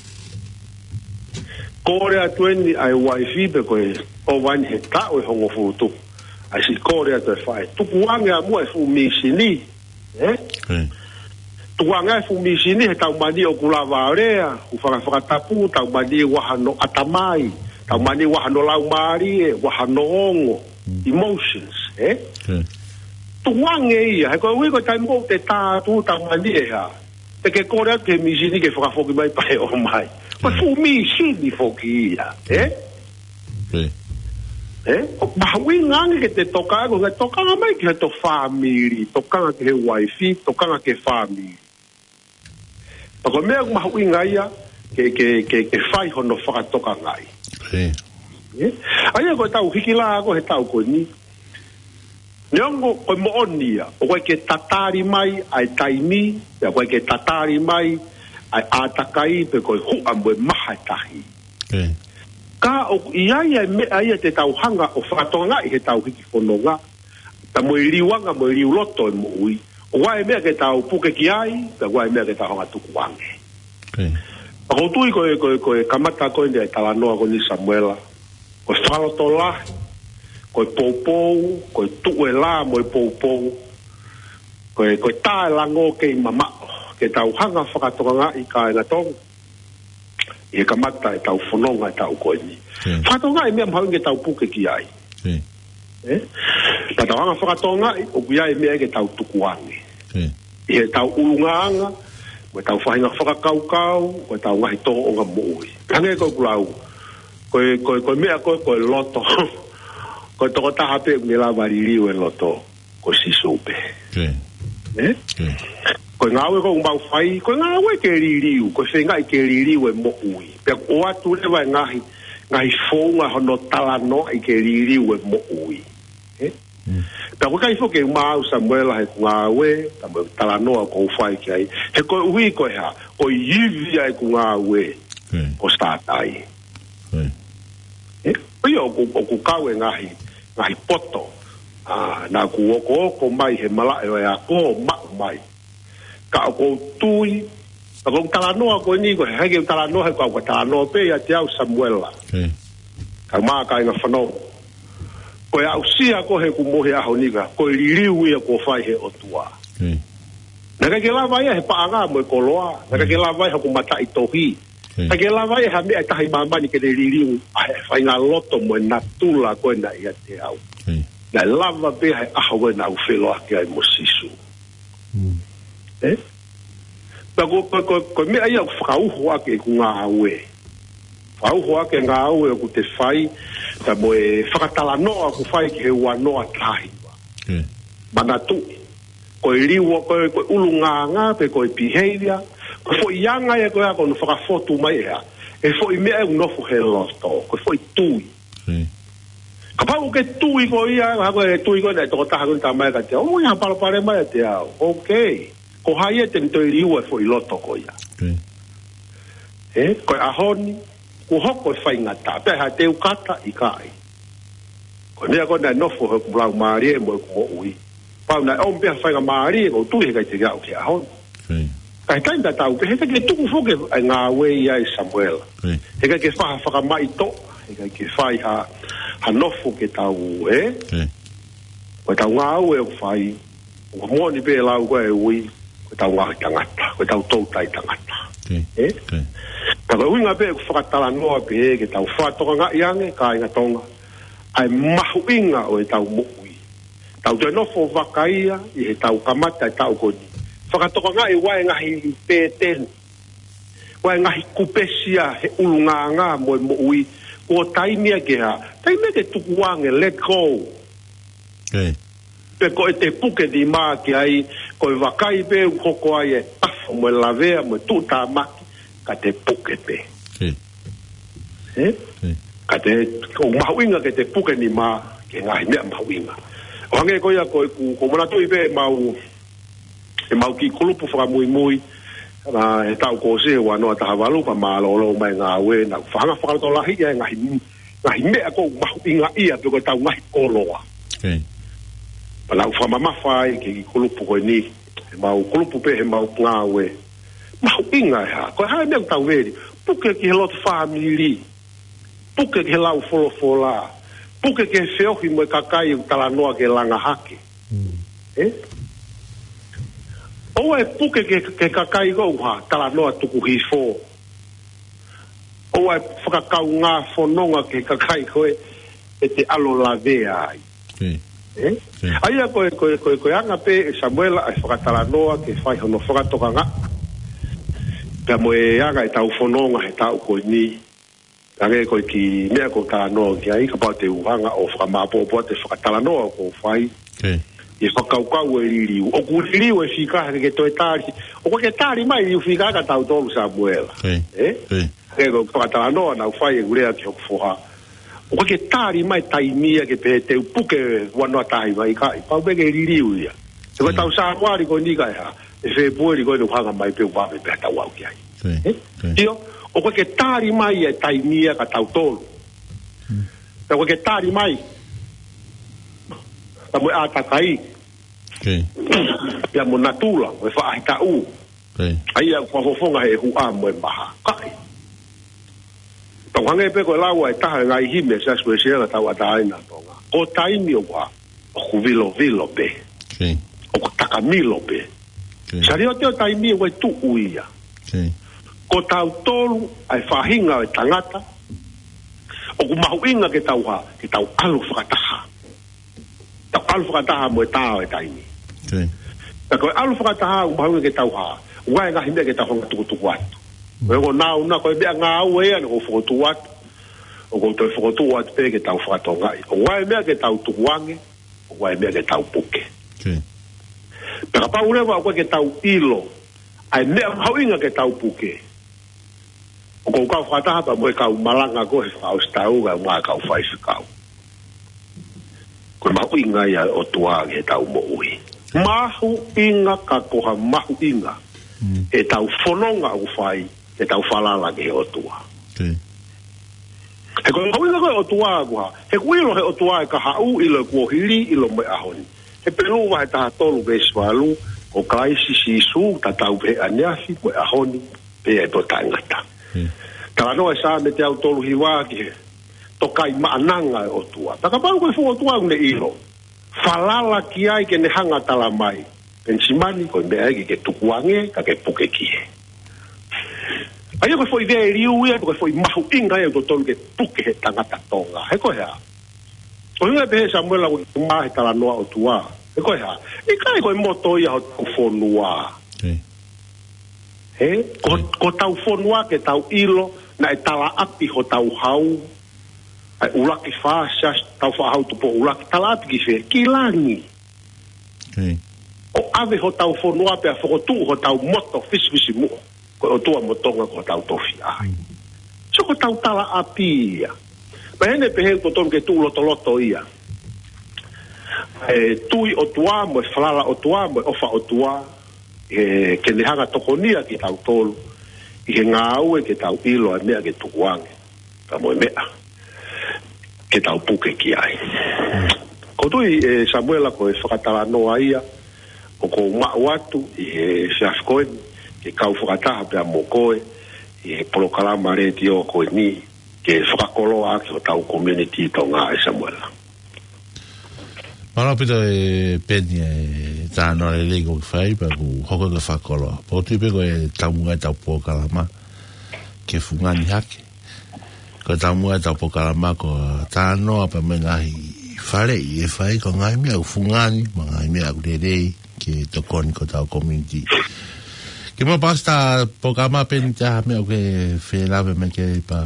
Kole atu eni ʻa e uaifi pe ko e ʻova eni he taʻu ʻe hongofulu tupu. ʻAi siʻi kole atu e faʻē, tukuange ʻa muʻa e fuʻu mīsini. Ē? Tukuange e fuʻu mīsini he tau mani ʻoku lava ʻo lea, ʻoku faka-, fakatapu, tau mani ʻoku ʻi ai hano ʻatamai, tau mani ʻoku ʻi ai hano laumālie, ʻoku ʻi ai hano ongo, emotions, ē? Tukuange ia, he ko e ui ko e taimi ko ē te tā atu tau mani ʻe hā. Te ke kole atu ki he mīsini ke fakafoki mai pea ʻomai. Ko e fuʻu mīsini foki ia, ē? Ē? ʻOku mahuʻinga ange ke te tokanga, ko e tokanga mai ki he tō fāmili, tokanga ki he uaifi, tokanga ki he fāmili. Pea ko e meʻa ʻoku mahuʻinga ia ke, ke, ke, ke fai hono fakatokangaʻi. Ē? ʻA ia ko e tau hiki lā ko ē he taʻu ko eni. Neongo ko e moʻoni ia, ʻoku ʻikai ke tatali mai ʻa e taimi, pea ʻoku ʻikai ke tatali mai ʻa e ʻātakai pe ko e huʻa mo e maha e tahi. Ka ʻoku ʻi ai e meʻa ia te tau hanga ʻo fakatokangaʻi he tau hiki fononga, pea mo e liuanga mo e liu loto e moʻui. ʻOku ʻi ai e meʻa ke tau puke ki ai, pea ʻoku ʻi ai e meʻa ke tau hanga ʻo tukuange. Pea ʻoku ou tui ko e, ko e, ko e kamata ko eni e talanoa ko eni Samuela. Ko e fakalotolahi, ko e poupou, ko e tuʻu e lā mo e poupou, ko e, ko e tā e lango kei mamaʻo, ke tau hanga ʻo fakatokangaʻi kāinga Tonga. ʻI he kamata e tau fononga e taʻu ko eni. Fakatokangaʻi e meʻa mahuʻinga ke tau puke ki ai. Ē? Ka tau hanga ʻo fakatokangaʻi, ʻoku ʻi ai e meʻa ke tau tukuange. ʻI he tau ʻulungaanga, mo e tau faʻahinga fakakaukau, mo e tau ngaahi tōʻonga moʻui. Hangē ko ʻeku lau, ko e, ko e, ko e meʻa ko ē, ko e loto. Ko e tokotaha pē ʻoku ne lava liliu e loto, ko Sīsū pē. Ē? Ko e ngāue ʻoku mau fai, ko e ngāue ke liliu, ko e feingaʻi ke liliu e moʻui. Pea ʻoku ʻoatu leva e ngaahi, ngaahi founga hono talanoaʻi ke liliu e moʻui. Ē? Mm. Pea ʻoku ʻikai foki ke maau Samuela heʻeku ngāue, ka mo e talanoa ʻoku ou fai ki ai. He koeʻuhi ko e hā, ko e ivi ʻa ʻeku ngāue, Ko Sātai. Ē, ʻo ia ʻoku, ʻoku kau e ngaahi, ngaahi poto. ʻA, naʻa ku okooko mai he malaʻe ʻo e ako maʻu mai. Ka ʻoku ou tui, ka ʻoku ou talanoa ko eni, ko e hā ke u talanoa, he ko au ka talanoa pē ʻiate au Samuela. Ka mā ka inga fanongo. Ko e aʻusia ko ē ʻeku mohe ʻaho ni ka, ko e liliu ia kuo fai he ʻOtua. Naʻe ʻikai ke lava ia he paʻanga mo e koloa. Naʻe ʻikai ke lava ia he ʻoku mataʻitohi. ʻIkai ke lava ia ha meʻa ʻe taha ʻi māmani ke ne liliu ʻa e faʻahinga loto mo e natula ko ē naʻe ʻiate au. Naʻe lava pē he ʻaho ko ē naʻa ku feʻiloaki ai mo Sīsū. Ē? Pea ko, ko, ko, ko e meʻa ia ʻoku fakauho ʻaki ʻeku ngāue. Fakauho ʻaki e ngāue ʻoku te fai, ka mo e fakatalanoa ʻoku fai ki he ua noa taha hiva. Manatuʻi. Ko e liua, ko e, ko e ʻulungaanga, pe ko e behavior, ko e foʻi anga ia ko ē ʻoku ne fakafotu mai ʻe hā. E foʻi meʻa ʻoku nofo he loto, ko e foʻi tui. Kapau ʻoku ke tui ko ia, ha ko e tui ko ē naʻe tokotaha ko ē tamai ka te, ʻo ia palopalema ia te au. Okay. Ko hai ia te ne toe liua e foʻi loto ko ia. Ē, ko e ʻaho ni, kuo hoko e faingataʻa, pea ha te u kata ʻikai. Ko e meʻa ko ē naʻe nofo he ʻeku laumālie mo ʻeku moʻui. Pau naʻe ʻomi pē ha faingamālie, ʻoku ou tui he ʻikai te ke aʻu ki he ʻaho ni. Ka he taimi tatau pē, he ʻikai ke tuku foki e ngāue ia ʻe Samuela. He ʻikai ke fai ha fakamaʻitoʻa, he ʻikai ke fai ha, ha nofo ke tau, ē? Ko e tau ngāue ʻoku fai, ʻoku moʻoni pē lau ko ē ui, ko e tau ngaahi tangata, ko e tau toutai tangata. Ē? Ka ko e ʻuhinga pē ʻeku fakatalanoa pē ke tau fakatokangaʻi ange, kāinga Tonga, ʻa e mahuʻinga ʻo e tau moʻui. Tau toe nofo vaka ia, ʻi he tau kamata e taʻu ko eni. Fakatokangaʻi ʻa e ngaahi pēteni. ʻA e ngaahi kupesi ia he ʻulungaanga mo e moʻui. Ko e taimi ia ke hā. Taimi ia ke tuku ange, let go. Pe ko e te puke nima ki ai, ko e vakai pē ʻoku hoko ai e tafo mo e lavea mo e tuʻutāmaki, ka te puke pē. Ē? Ka te, ʻoku mahuʻinga ke te puke nima, ki he ngaahi meʻa mahuʻinga. ʻO hangē ko ia ko ʻeku, ʻoku ou manatuʻi pē ʻemau, ʻemau kiʻi kulupu fakamuimui, ʻa, he taʻu kuo ʻosi he ua noa taha valu, pea mālōlō mai ngāue, naʻa ku fakahanga fakalotolahi ia e ngaahi, ngaahi meʻa ʻoku mahuʻinga ia, pe ko e tau ngaahi koloa. Pea naʻa ku fakamamafa ai ki he kiʻi kulupu ko eni, ʻemau kulupu pē heʻemau ngāue. Mahuʻinga e hā, ko e hā e meʻa ʻoku tau veli, puke ki he lotu fāmili. Puke ki he lau folofola. Puke ki he feohi mo e kakai ʻoku talanoa ke langa hake. Ē? ʻOua ʻe puke ki he, ki he kakai ko ē ʻoku hā, talanoa tuku hifo. ʻOua ʻe fakakaungā fononga ki he kakai ko ē ʻe te ʻalu lavea ai. Ē? ʻA ia ko e, ko e, ko e, ko e anga pē ʻe Samuela ʻa e fakatalanoa ke fai hono fakatokangaʻi. Pea mo e anga e tau fononga he taʻu ko eni. Hangē ko e kiʻi meʻa ʻoku ou talanoa ki ai, kapau te u hanga ʻo fakamāpopo atu e fakatalanoa ʻoku ou fai. ʻI he fakakaukau e liliu. ʻOku liliu e fika he ʻikai ke toe tali. ʻOku ʻikai ke tali mai e liliu fika kia tautolu Samuela. Ē? Hangē ko e fakatalanoa naʻa ku fai ʻeku lea ki hoku foha. ʻOku ʻikai ke tali mai taimi ia ke pehē te u puke ua noa taha hiva ʻikai. Pau pē ke liliu ia. He ko e tau Sānuali ko eni ka e hā. ʻE Fēpueli ko eni ʻoku hanga mai pē ʻo vave pē ʻa tautolu ki ai. Ē? ʻIo, ʻoku ʻikai ke tali mai e taimi ia kia tautolu. Pea ʻoku ʻikai ke tali mai. Pea mo e ʻātakai. Pea mo natula, mo e faʻahitaʻu. ʻA ia ʻoku fakafofonga he huʻa mo e maha. ʻIkai. Pea ʻoku hangē pē ko e lau ʻa e taha e ngaahi himi ʻa e Siasi Uēsiliana Tauʻatāina ʻo Tonga. Ko e taimi ʻoku hā, ʻoku vilovilo pē. ʻOku takamilo pē. Saliote ʻo taimi ʻoku ʻi ai e tuʻu ia. Ko tautolu ʻa e faʻahinga ʻo e tangata, ʻoku mahuʻinga ke tau hā, ke tau ʻalu fakataha. Tau ʻalu fakataha mo e tā ʻo e taimi. Ka ko e ʻalu fakataha ʻoku mahuʻinga ke tau hā, ʻoku ʻi ai e ngaahi meʻa ke tau hanga tukutuku atu. Ko e ʻoku nau na ko e meʻa ngāue ia naʻa ku fokotuʻu atu. ʻOku ou toe fokotuʻu atu pē ke tau fakatokangaʻi. ʻOku ʻi ai e meʻa ke tau tukuange, ʻoku ʻi ai e meʻa ke tau puke. Pea kapau leva ʻoku ʻikai ke tau ʻilo ʻa e meʻa mahuʻinga ke tau puke, ʻoku ou kau fakataha pea mo e kau malanga ko ē he fakaʻosi taʻu, kae ʻumaʻā e kau faifekau. Ko e mahuʻinga ia ʻo e ʻOtua ki heʻetau moʻui. Mahuʻinga ka ko ha mahuʻinga ʻetau fononga ʻoku fai, ʻetau falala ki he ʻOtua. He ko e mahuʻinga ko ē ʻo e ʻOtua ko e hā? He ʻoku ʻilo ʻe he ʻOtua e kahaʻu, ʻilo e kuohili, ʻilo mo e ʻaho ni. Hepelū vahe taha tolu veesi valu, ko Kalaisi Sīsū tatau pē he ʻaneafi mo e ʻaho ni, pea pehē ʻo taʻengata. Talanoa e Saame teau tolu hiva ki he tokaimaʻananga ʻo e ʻOtua. Pea kapau ko e fuʻu ʻOtua ʻoku ne ʻilo, falala ki ai ke ne hanga ʻo tala mai, Penisimani, ko e meʻa ē ke ke tukuange, ka ke puke ki ai. ʻA ia ko e foʻi liliu ia, ko e foʻi mahuʻinga ia ʻoku totonu ke puke he tangata Tonga. He ko e hā? ʻUhinga pē ʻe Samuela ʻoku ʻomai he talanoa ʻOtua. He ko e hā? ʻIkai ko e moto ia hotau fonua. He? Ko, ko hotau fonua ke tau ʻilo, naʻe talaʻapi hotau hau, ʻa e ʻuluaki fā siasi, tau faʻahau tupu ʻuluaki, talaʻapi ki fē? Ki langi. ʻO ʻave hotau fonua pea fokotuʻu hotau moto fisifisimuʻa. Ko e ʻOtua mo Tonga ko hotau tofiʻa. So ko hotau talaʻapi ia. Pea heni pē he ʻoku totonu ke tuʻu lotoloto ia. E tui ʻOtua mo e falala ʻOtua mo e ʻofa ʻOtua, ʻe, ke ne hanga ʻo tokonia kitautolu ʻi he ngāue ke tau ʻilo ʻa e meʻa ke tukuange, pea mo e meʻa ke tau puke ki ai. ʻOku ou tui ʻe Samuela ko e fakatalanoa ia ʻoku ou maʻu atu ʻi he efiafi ko eni, ke kau fakataha pea mo koe ʻi he polokalama letiō ko eni, ke fakakoloa ʻaki hotau community Tonga, ʻe Samuela. Mālō ʻaupito ʻe Peni e talanoa lelei ʻoku ke fai, pea ʻoku hoko ko e fakakoloa. Pea ʻoku ou tui pē ko e taumuʻa ʻetau polokalama ki he fungani hake. Ko e taumuʻa ʻetau polokalama ko e talanoa pea mo e ngaahi faleʻi ʻe fai, ko e ngaahi meʻa ʻoku fungani, mo e ngaahi meʻa ʻoku lelei ke tokoni ki hotau community. Kimuʻa pea ʻosi ʻetau polokalama, Peni, ʻi ai ha meʻa ʻoku ke fie lave mai ki ai pea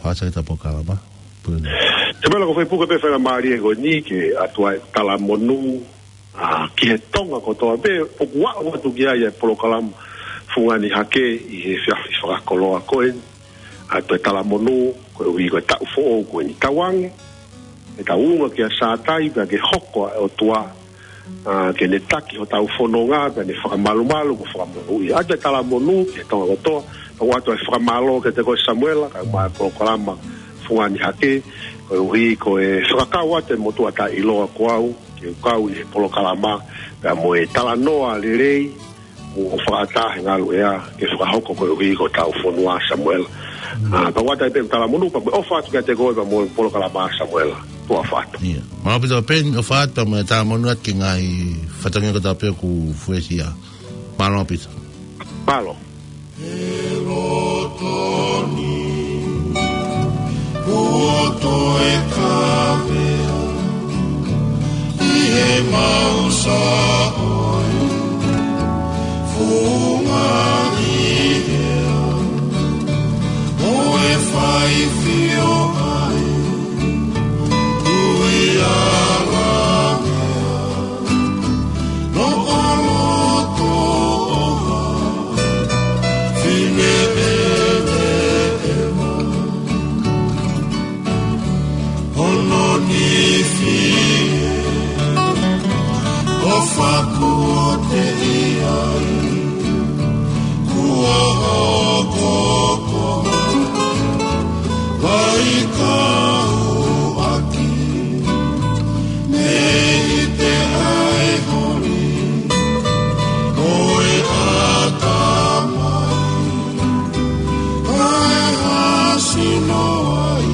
fakaʻosi ʻetau polokalama? Pea ʻoku ou fie puke pē faingamālie ko eni ke ʻoatu ai e talamonū, ʻa, ki he Tonga kotoa pē ʻoku aʻu atu ki ai e polokalama fungani hake ʻi he efiafi fakakoloa ko eni. ʻOatu e talamonū koeʻuhi ko e taʻu foʻou ko eni, tauange ʻetau ūnga kia Sātai pea ke hoko ʻa e ʻOtua, ʻa, ke ne taki hotau fononga pea ne fakamalumalu mo fakamonūʻia. ʻOatu e talamonū ki he Tonga kotoa, pea ʻoatu e fakamālō kiate koe Samuela, kae ʻumaʻā e polokalama fungani hake, koeʻuhi ko e fakakau atu e motuʻa taʻeʻiloa ko au, ke u kau ʻi he polokalama, pea mo e talanoa lelei, ʻo fakataha he ngaluʻea, ke fakahoko koeʻuhi ko hotau fonua Samuela. ʻA, pea ʻoatu ai pē e talamonū, pea mo e ʻofa atu kiate koe, pea mo e polokalama Samuela. Tuʻa ʻofa atu. Mālō ʻaupito Peni, ʻofa atu pea mo e talamonū atu ki he ngaahi fatongia kotoa pē ʻoku fuesia. Mālō ʻaupito. Mālō. He loto ni, kuo toe kavea ʻi he mau saʻoi, fungani hea, ʻo e fai fio ai, ui ala mea. Noʻo loto ʻo ha fine ʻeveʻeva, hono nifi ʻo fakuote ʻi ai, kuo hoko ko ha vaikauʻaki. Mei te ai holi, ʻo e ʻatamai, ʻa e hasi noa ai,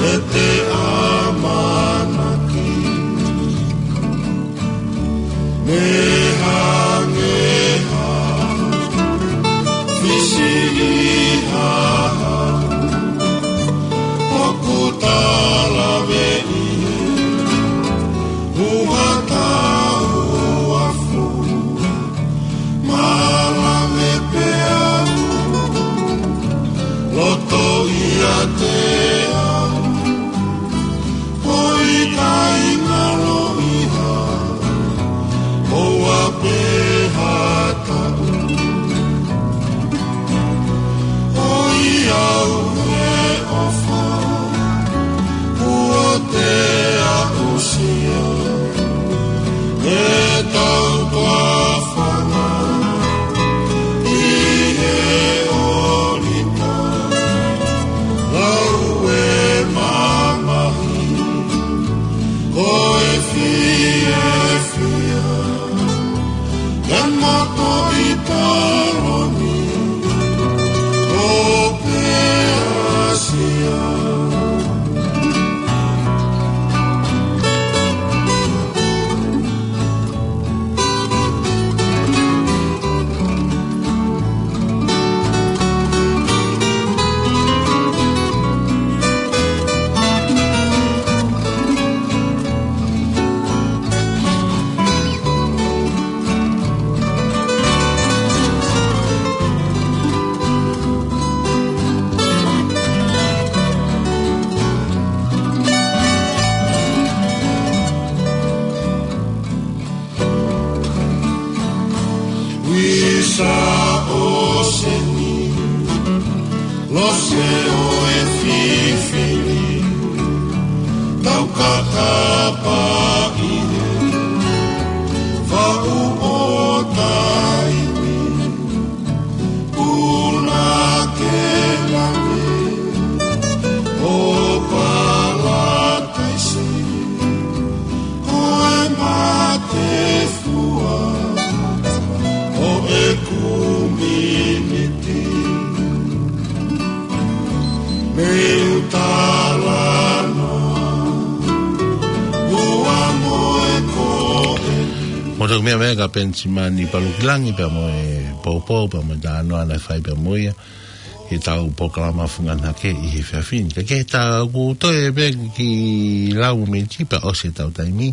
ʻe te ʻamanaki. Mei hangē ha fisi ʻi ha hau, ʻoku talaveʻi he ʻuha tauafu, mālave pē au, loto ʻiate au, ʻoku ʻikai ngalo ʻi ha ʻOfa, kuo te aʻusia ʻetau tuʻafanga ʻi he ʻōlita, lau e mamahi, ko e fiefia. Ke moto ʻi taloni, ʻo pē Asia. Uisa ʻo seni, lose ʻo e fifili, tau kakapa ʻi he faʻu ʻo taimi, puna ke lave ʻo palataisi, ko e mate fua ʻo e kuminiti. Mei talanoa ua mo e ko e. Mo toki meʻa mai ka Penisimani Palukilangi pea mo e poupou pea mo e talanoa naʻe fai pea mo ia ʻi heʻetau polokalama Fungani Hake ʻi he efiafi ni. Ka ke ta ku toe pē ki lau mei tipa ʻosi ʻetau taimi.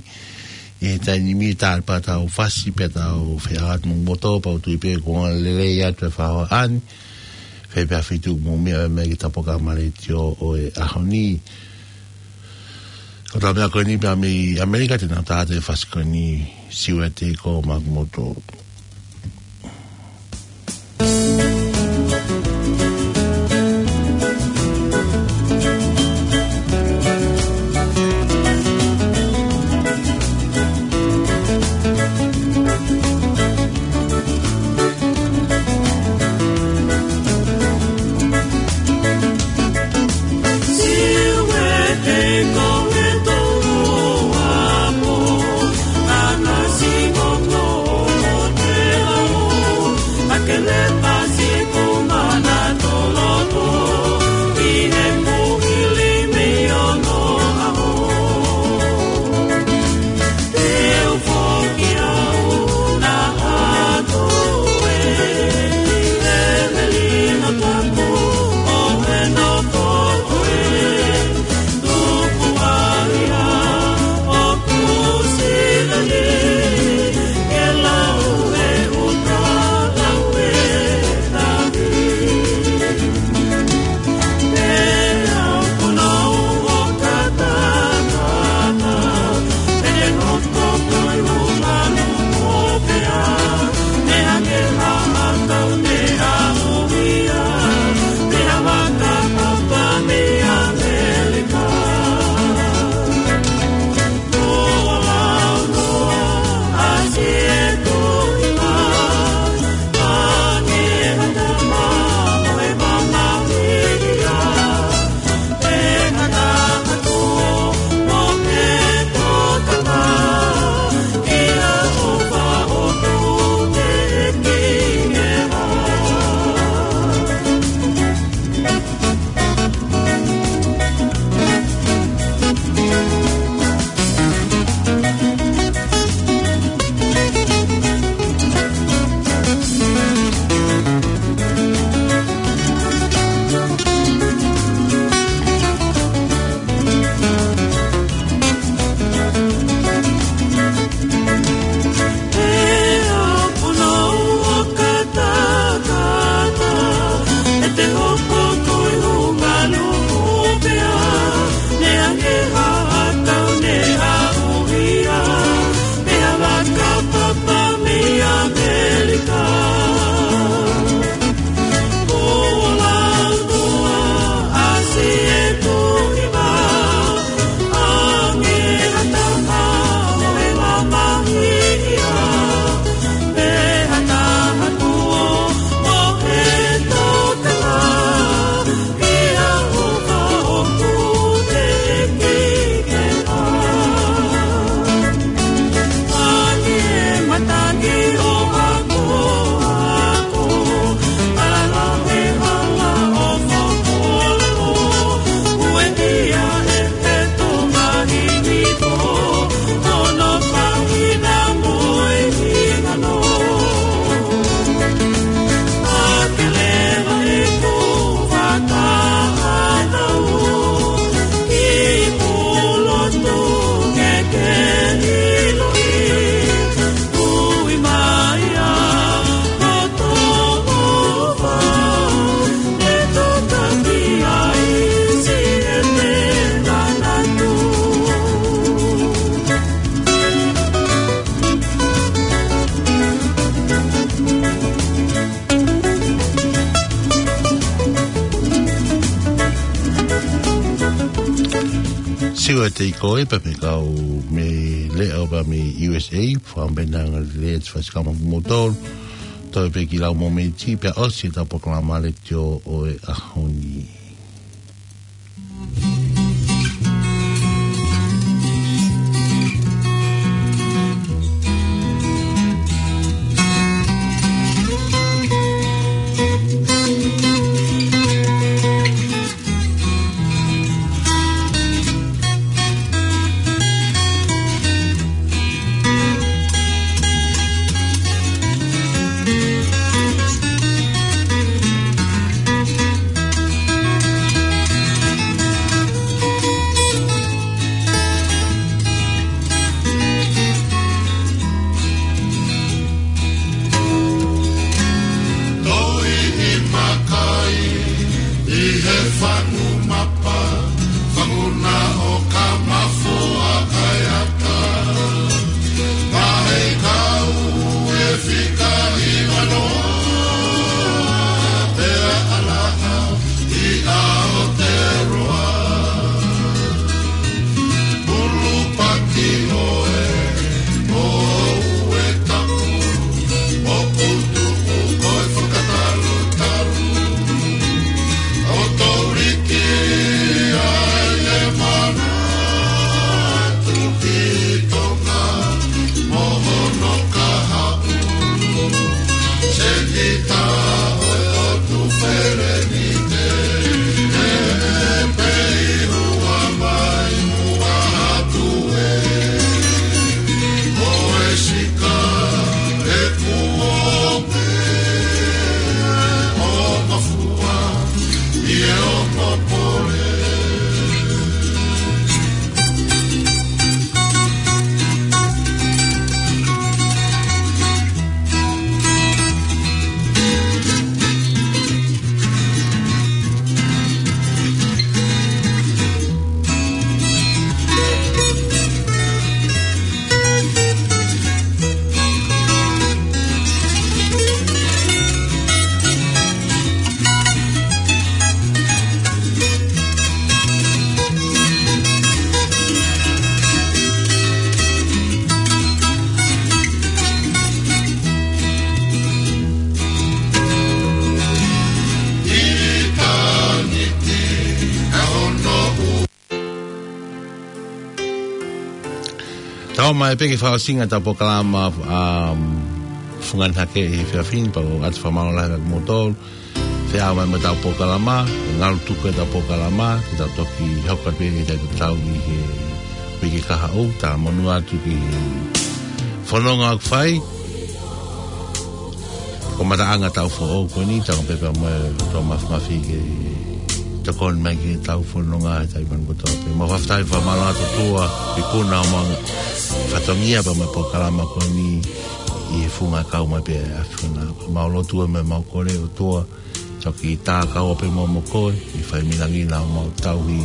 ʻI he taimi ni tau pē tau fasi pē tau feʻaveʻaki mo moto pea u tui pē kuo lelei atu e faʻahoa ni. Fai pē ha feituʻu mou meʻa mai ki heʻetau polokalama letiō ʻo e ʻaho ni. Ko ʻetau meʻa ko eni pē mei ʻAmelika te nau tā atu e fasi ko eni Siuete ko Makumoto. Siua te i koe pea mei he kau mei he leʻo pea mei U S A, fakaʻamu pē ʻa e ngaahi lea ʻa e Siasi Kau Maʻa Moutolu, toe pē ki he lau mōmeniti, pea ʻosi ʻetau polokalama letiō ʻo e ʻaho ni. Toi ni makai ʻi he fangu mapa, fangu na ʻo Kamafoa kai ata. Mahe kau e fika i vano, pea ʻalaha ʻi Aotearoa. Pulu paki ʻoe, ʻo ue tapu, ʻo putu ʻu koe fakatalutalu. ʻO toliki ai e mana tuki Tonga, mo hono kahaʻu. Senita ʻo e ʻOtu Felenite, ʻe pei ua mai mua atu ē. Ko e sika ʻe kuo pē ʻo mafua ʻi he ongo pole. Tau mai pē ki he fakaʻosinga ʻetau polokalama, um, Fungani Hake ʻi he efiafi ni, pea ʻoku ʻoatu e fakamālō lahi atu kiate kimoutolu. Fie ʻalu mai mo ʻetau polokalama, ʻe ngalu tuku ʻetau polokalama, ke tau toki hoko pē ke tau tau ʻi he uike kahaʻu, tau monū atu ki he fononga ʻoku fai. Ko e mataʻanga ʻetau foʻou ko eni, tau pehē pē mo e ʻOtua Mafimafi ke tokoni mai ki heʻetau fononga he taimi ni kotoa pē. Mau fakafetaʻi fakamālō atu ki he ʻOtua, ʻi he kuonga ʻo e fatongia pea mo e polokalama ko eni ʻi he funga kau mai pē ʻa e ʻAfiona. Mau lotu mo mau kole ʻOtua, toki tā kau pē mo, mo koe, ʻi he fai milangi na ʻo mau tauhi,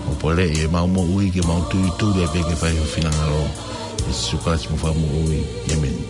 ʻo poleʻi ʻemau moʻui ke mau tuituli pē ke fai ho finangalo. ʻI Sīsū Kalaisi homau Fakamoʻui. ʻĒmeni.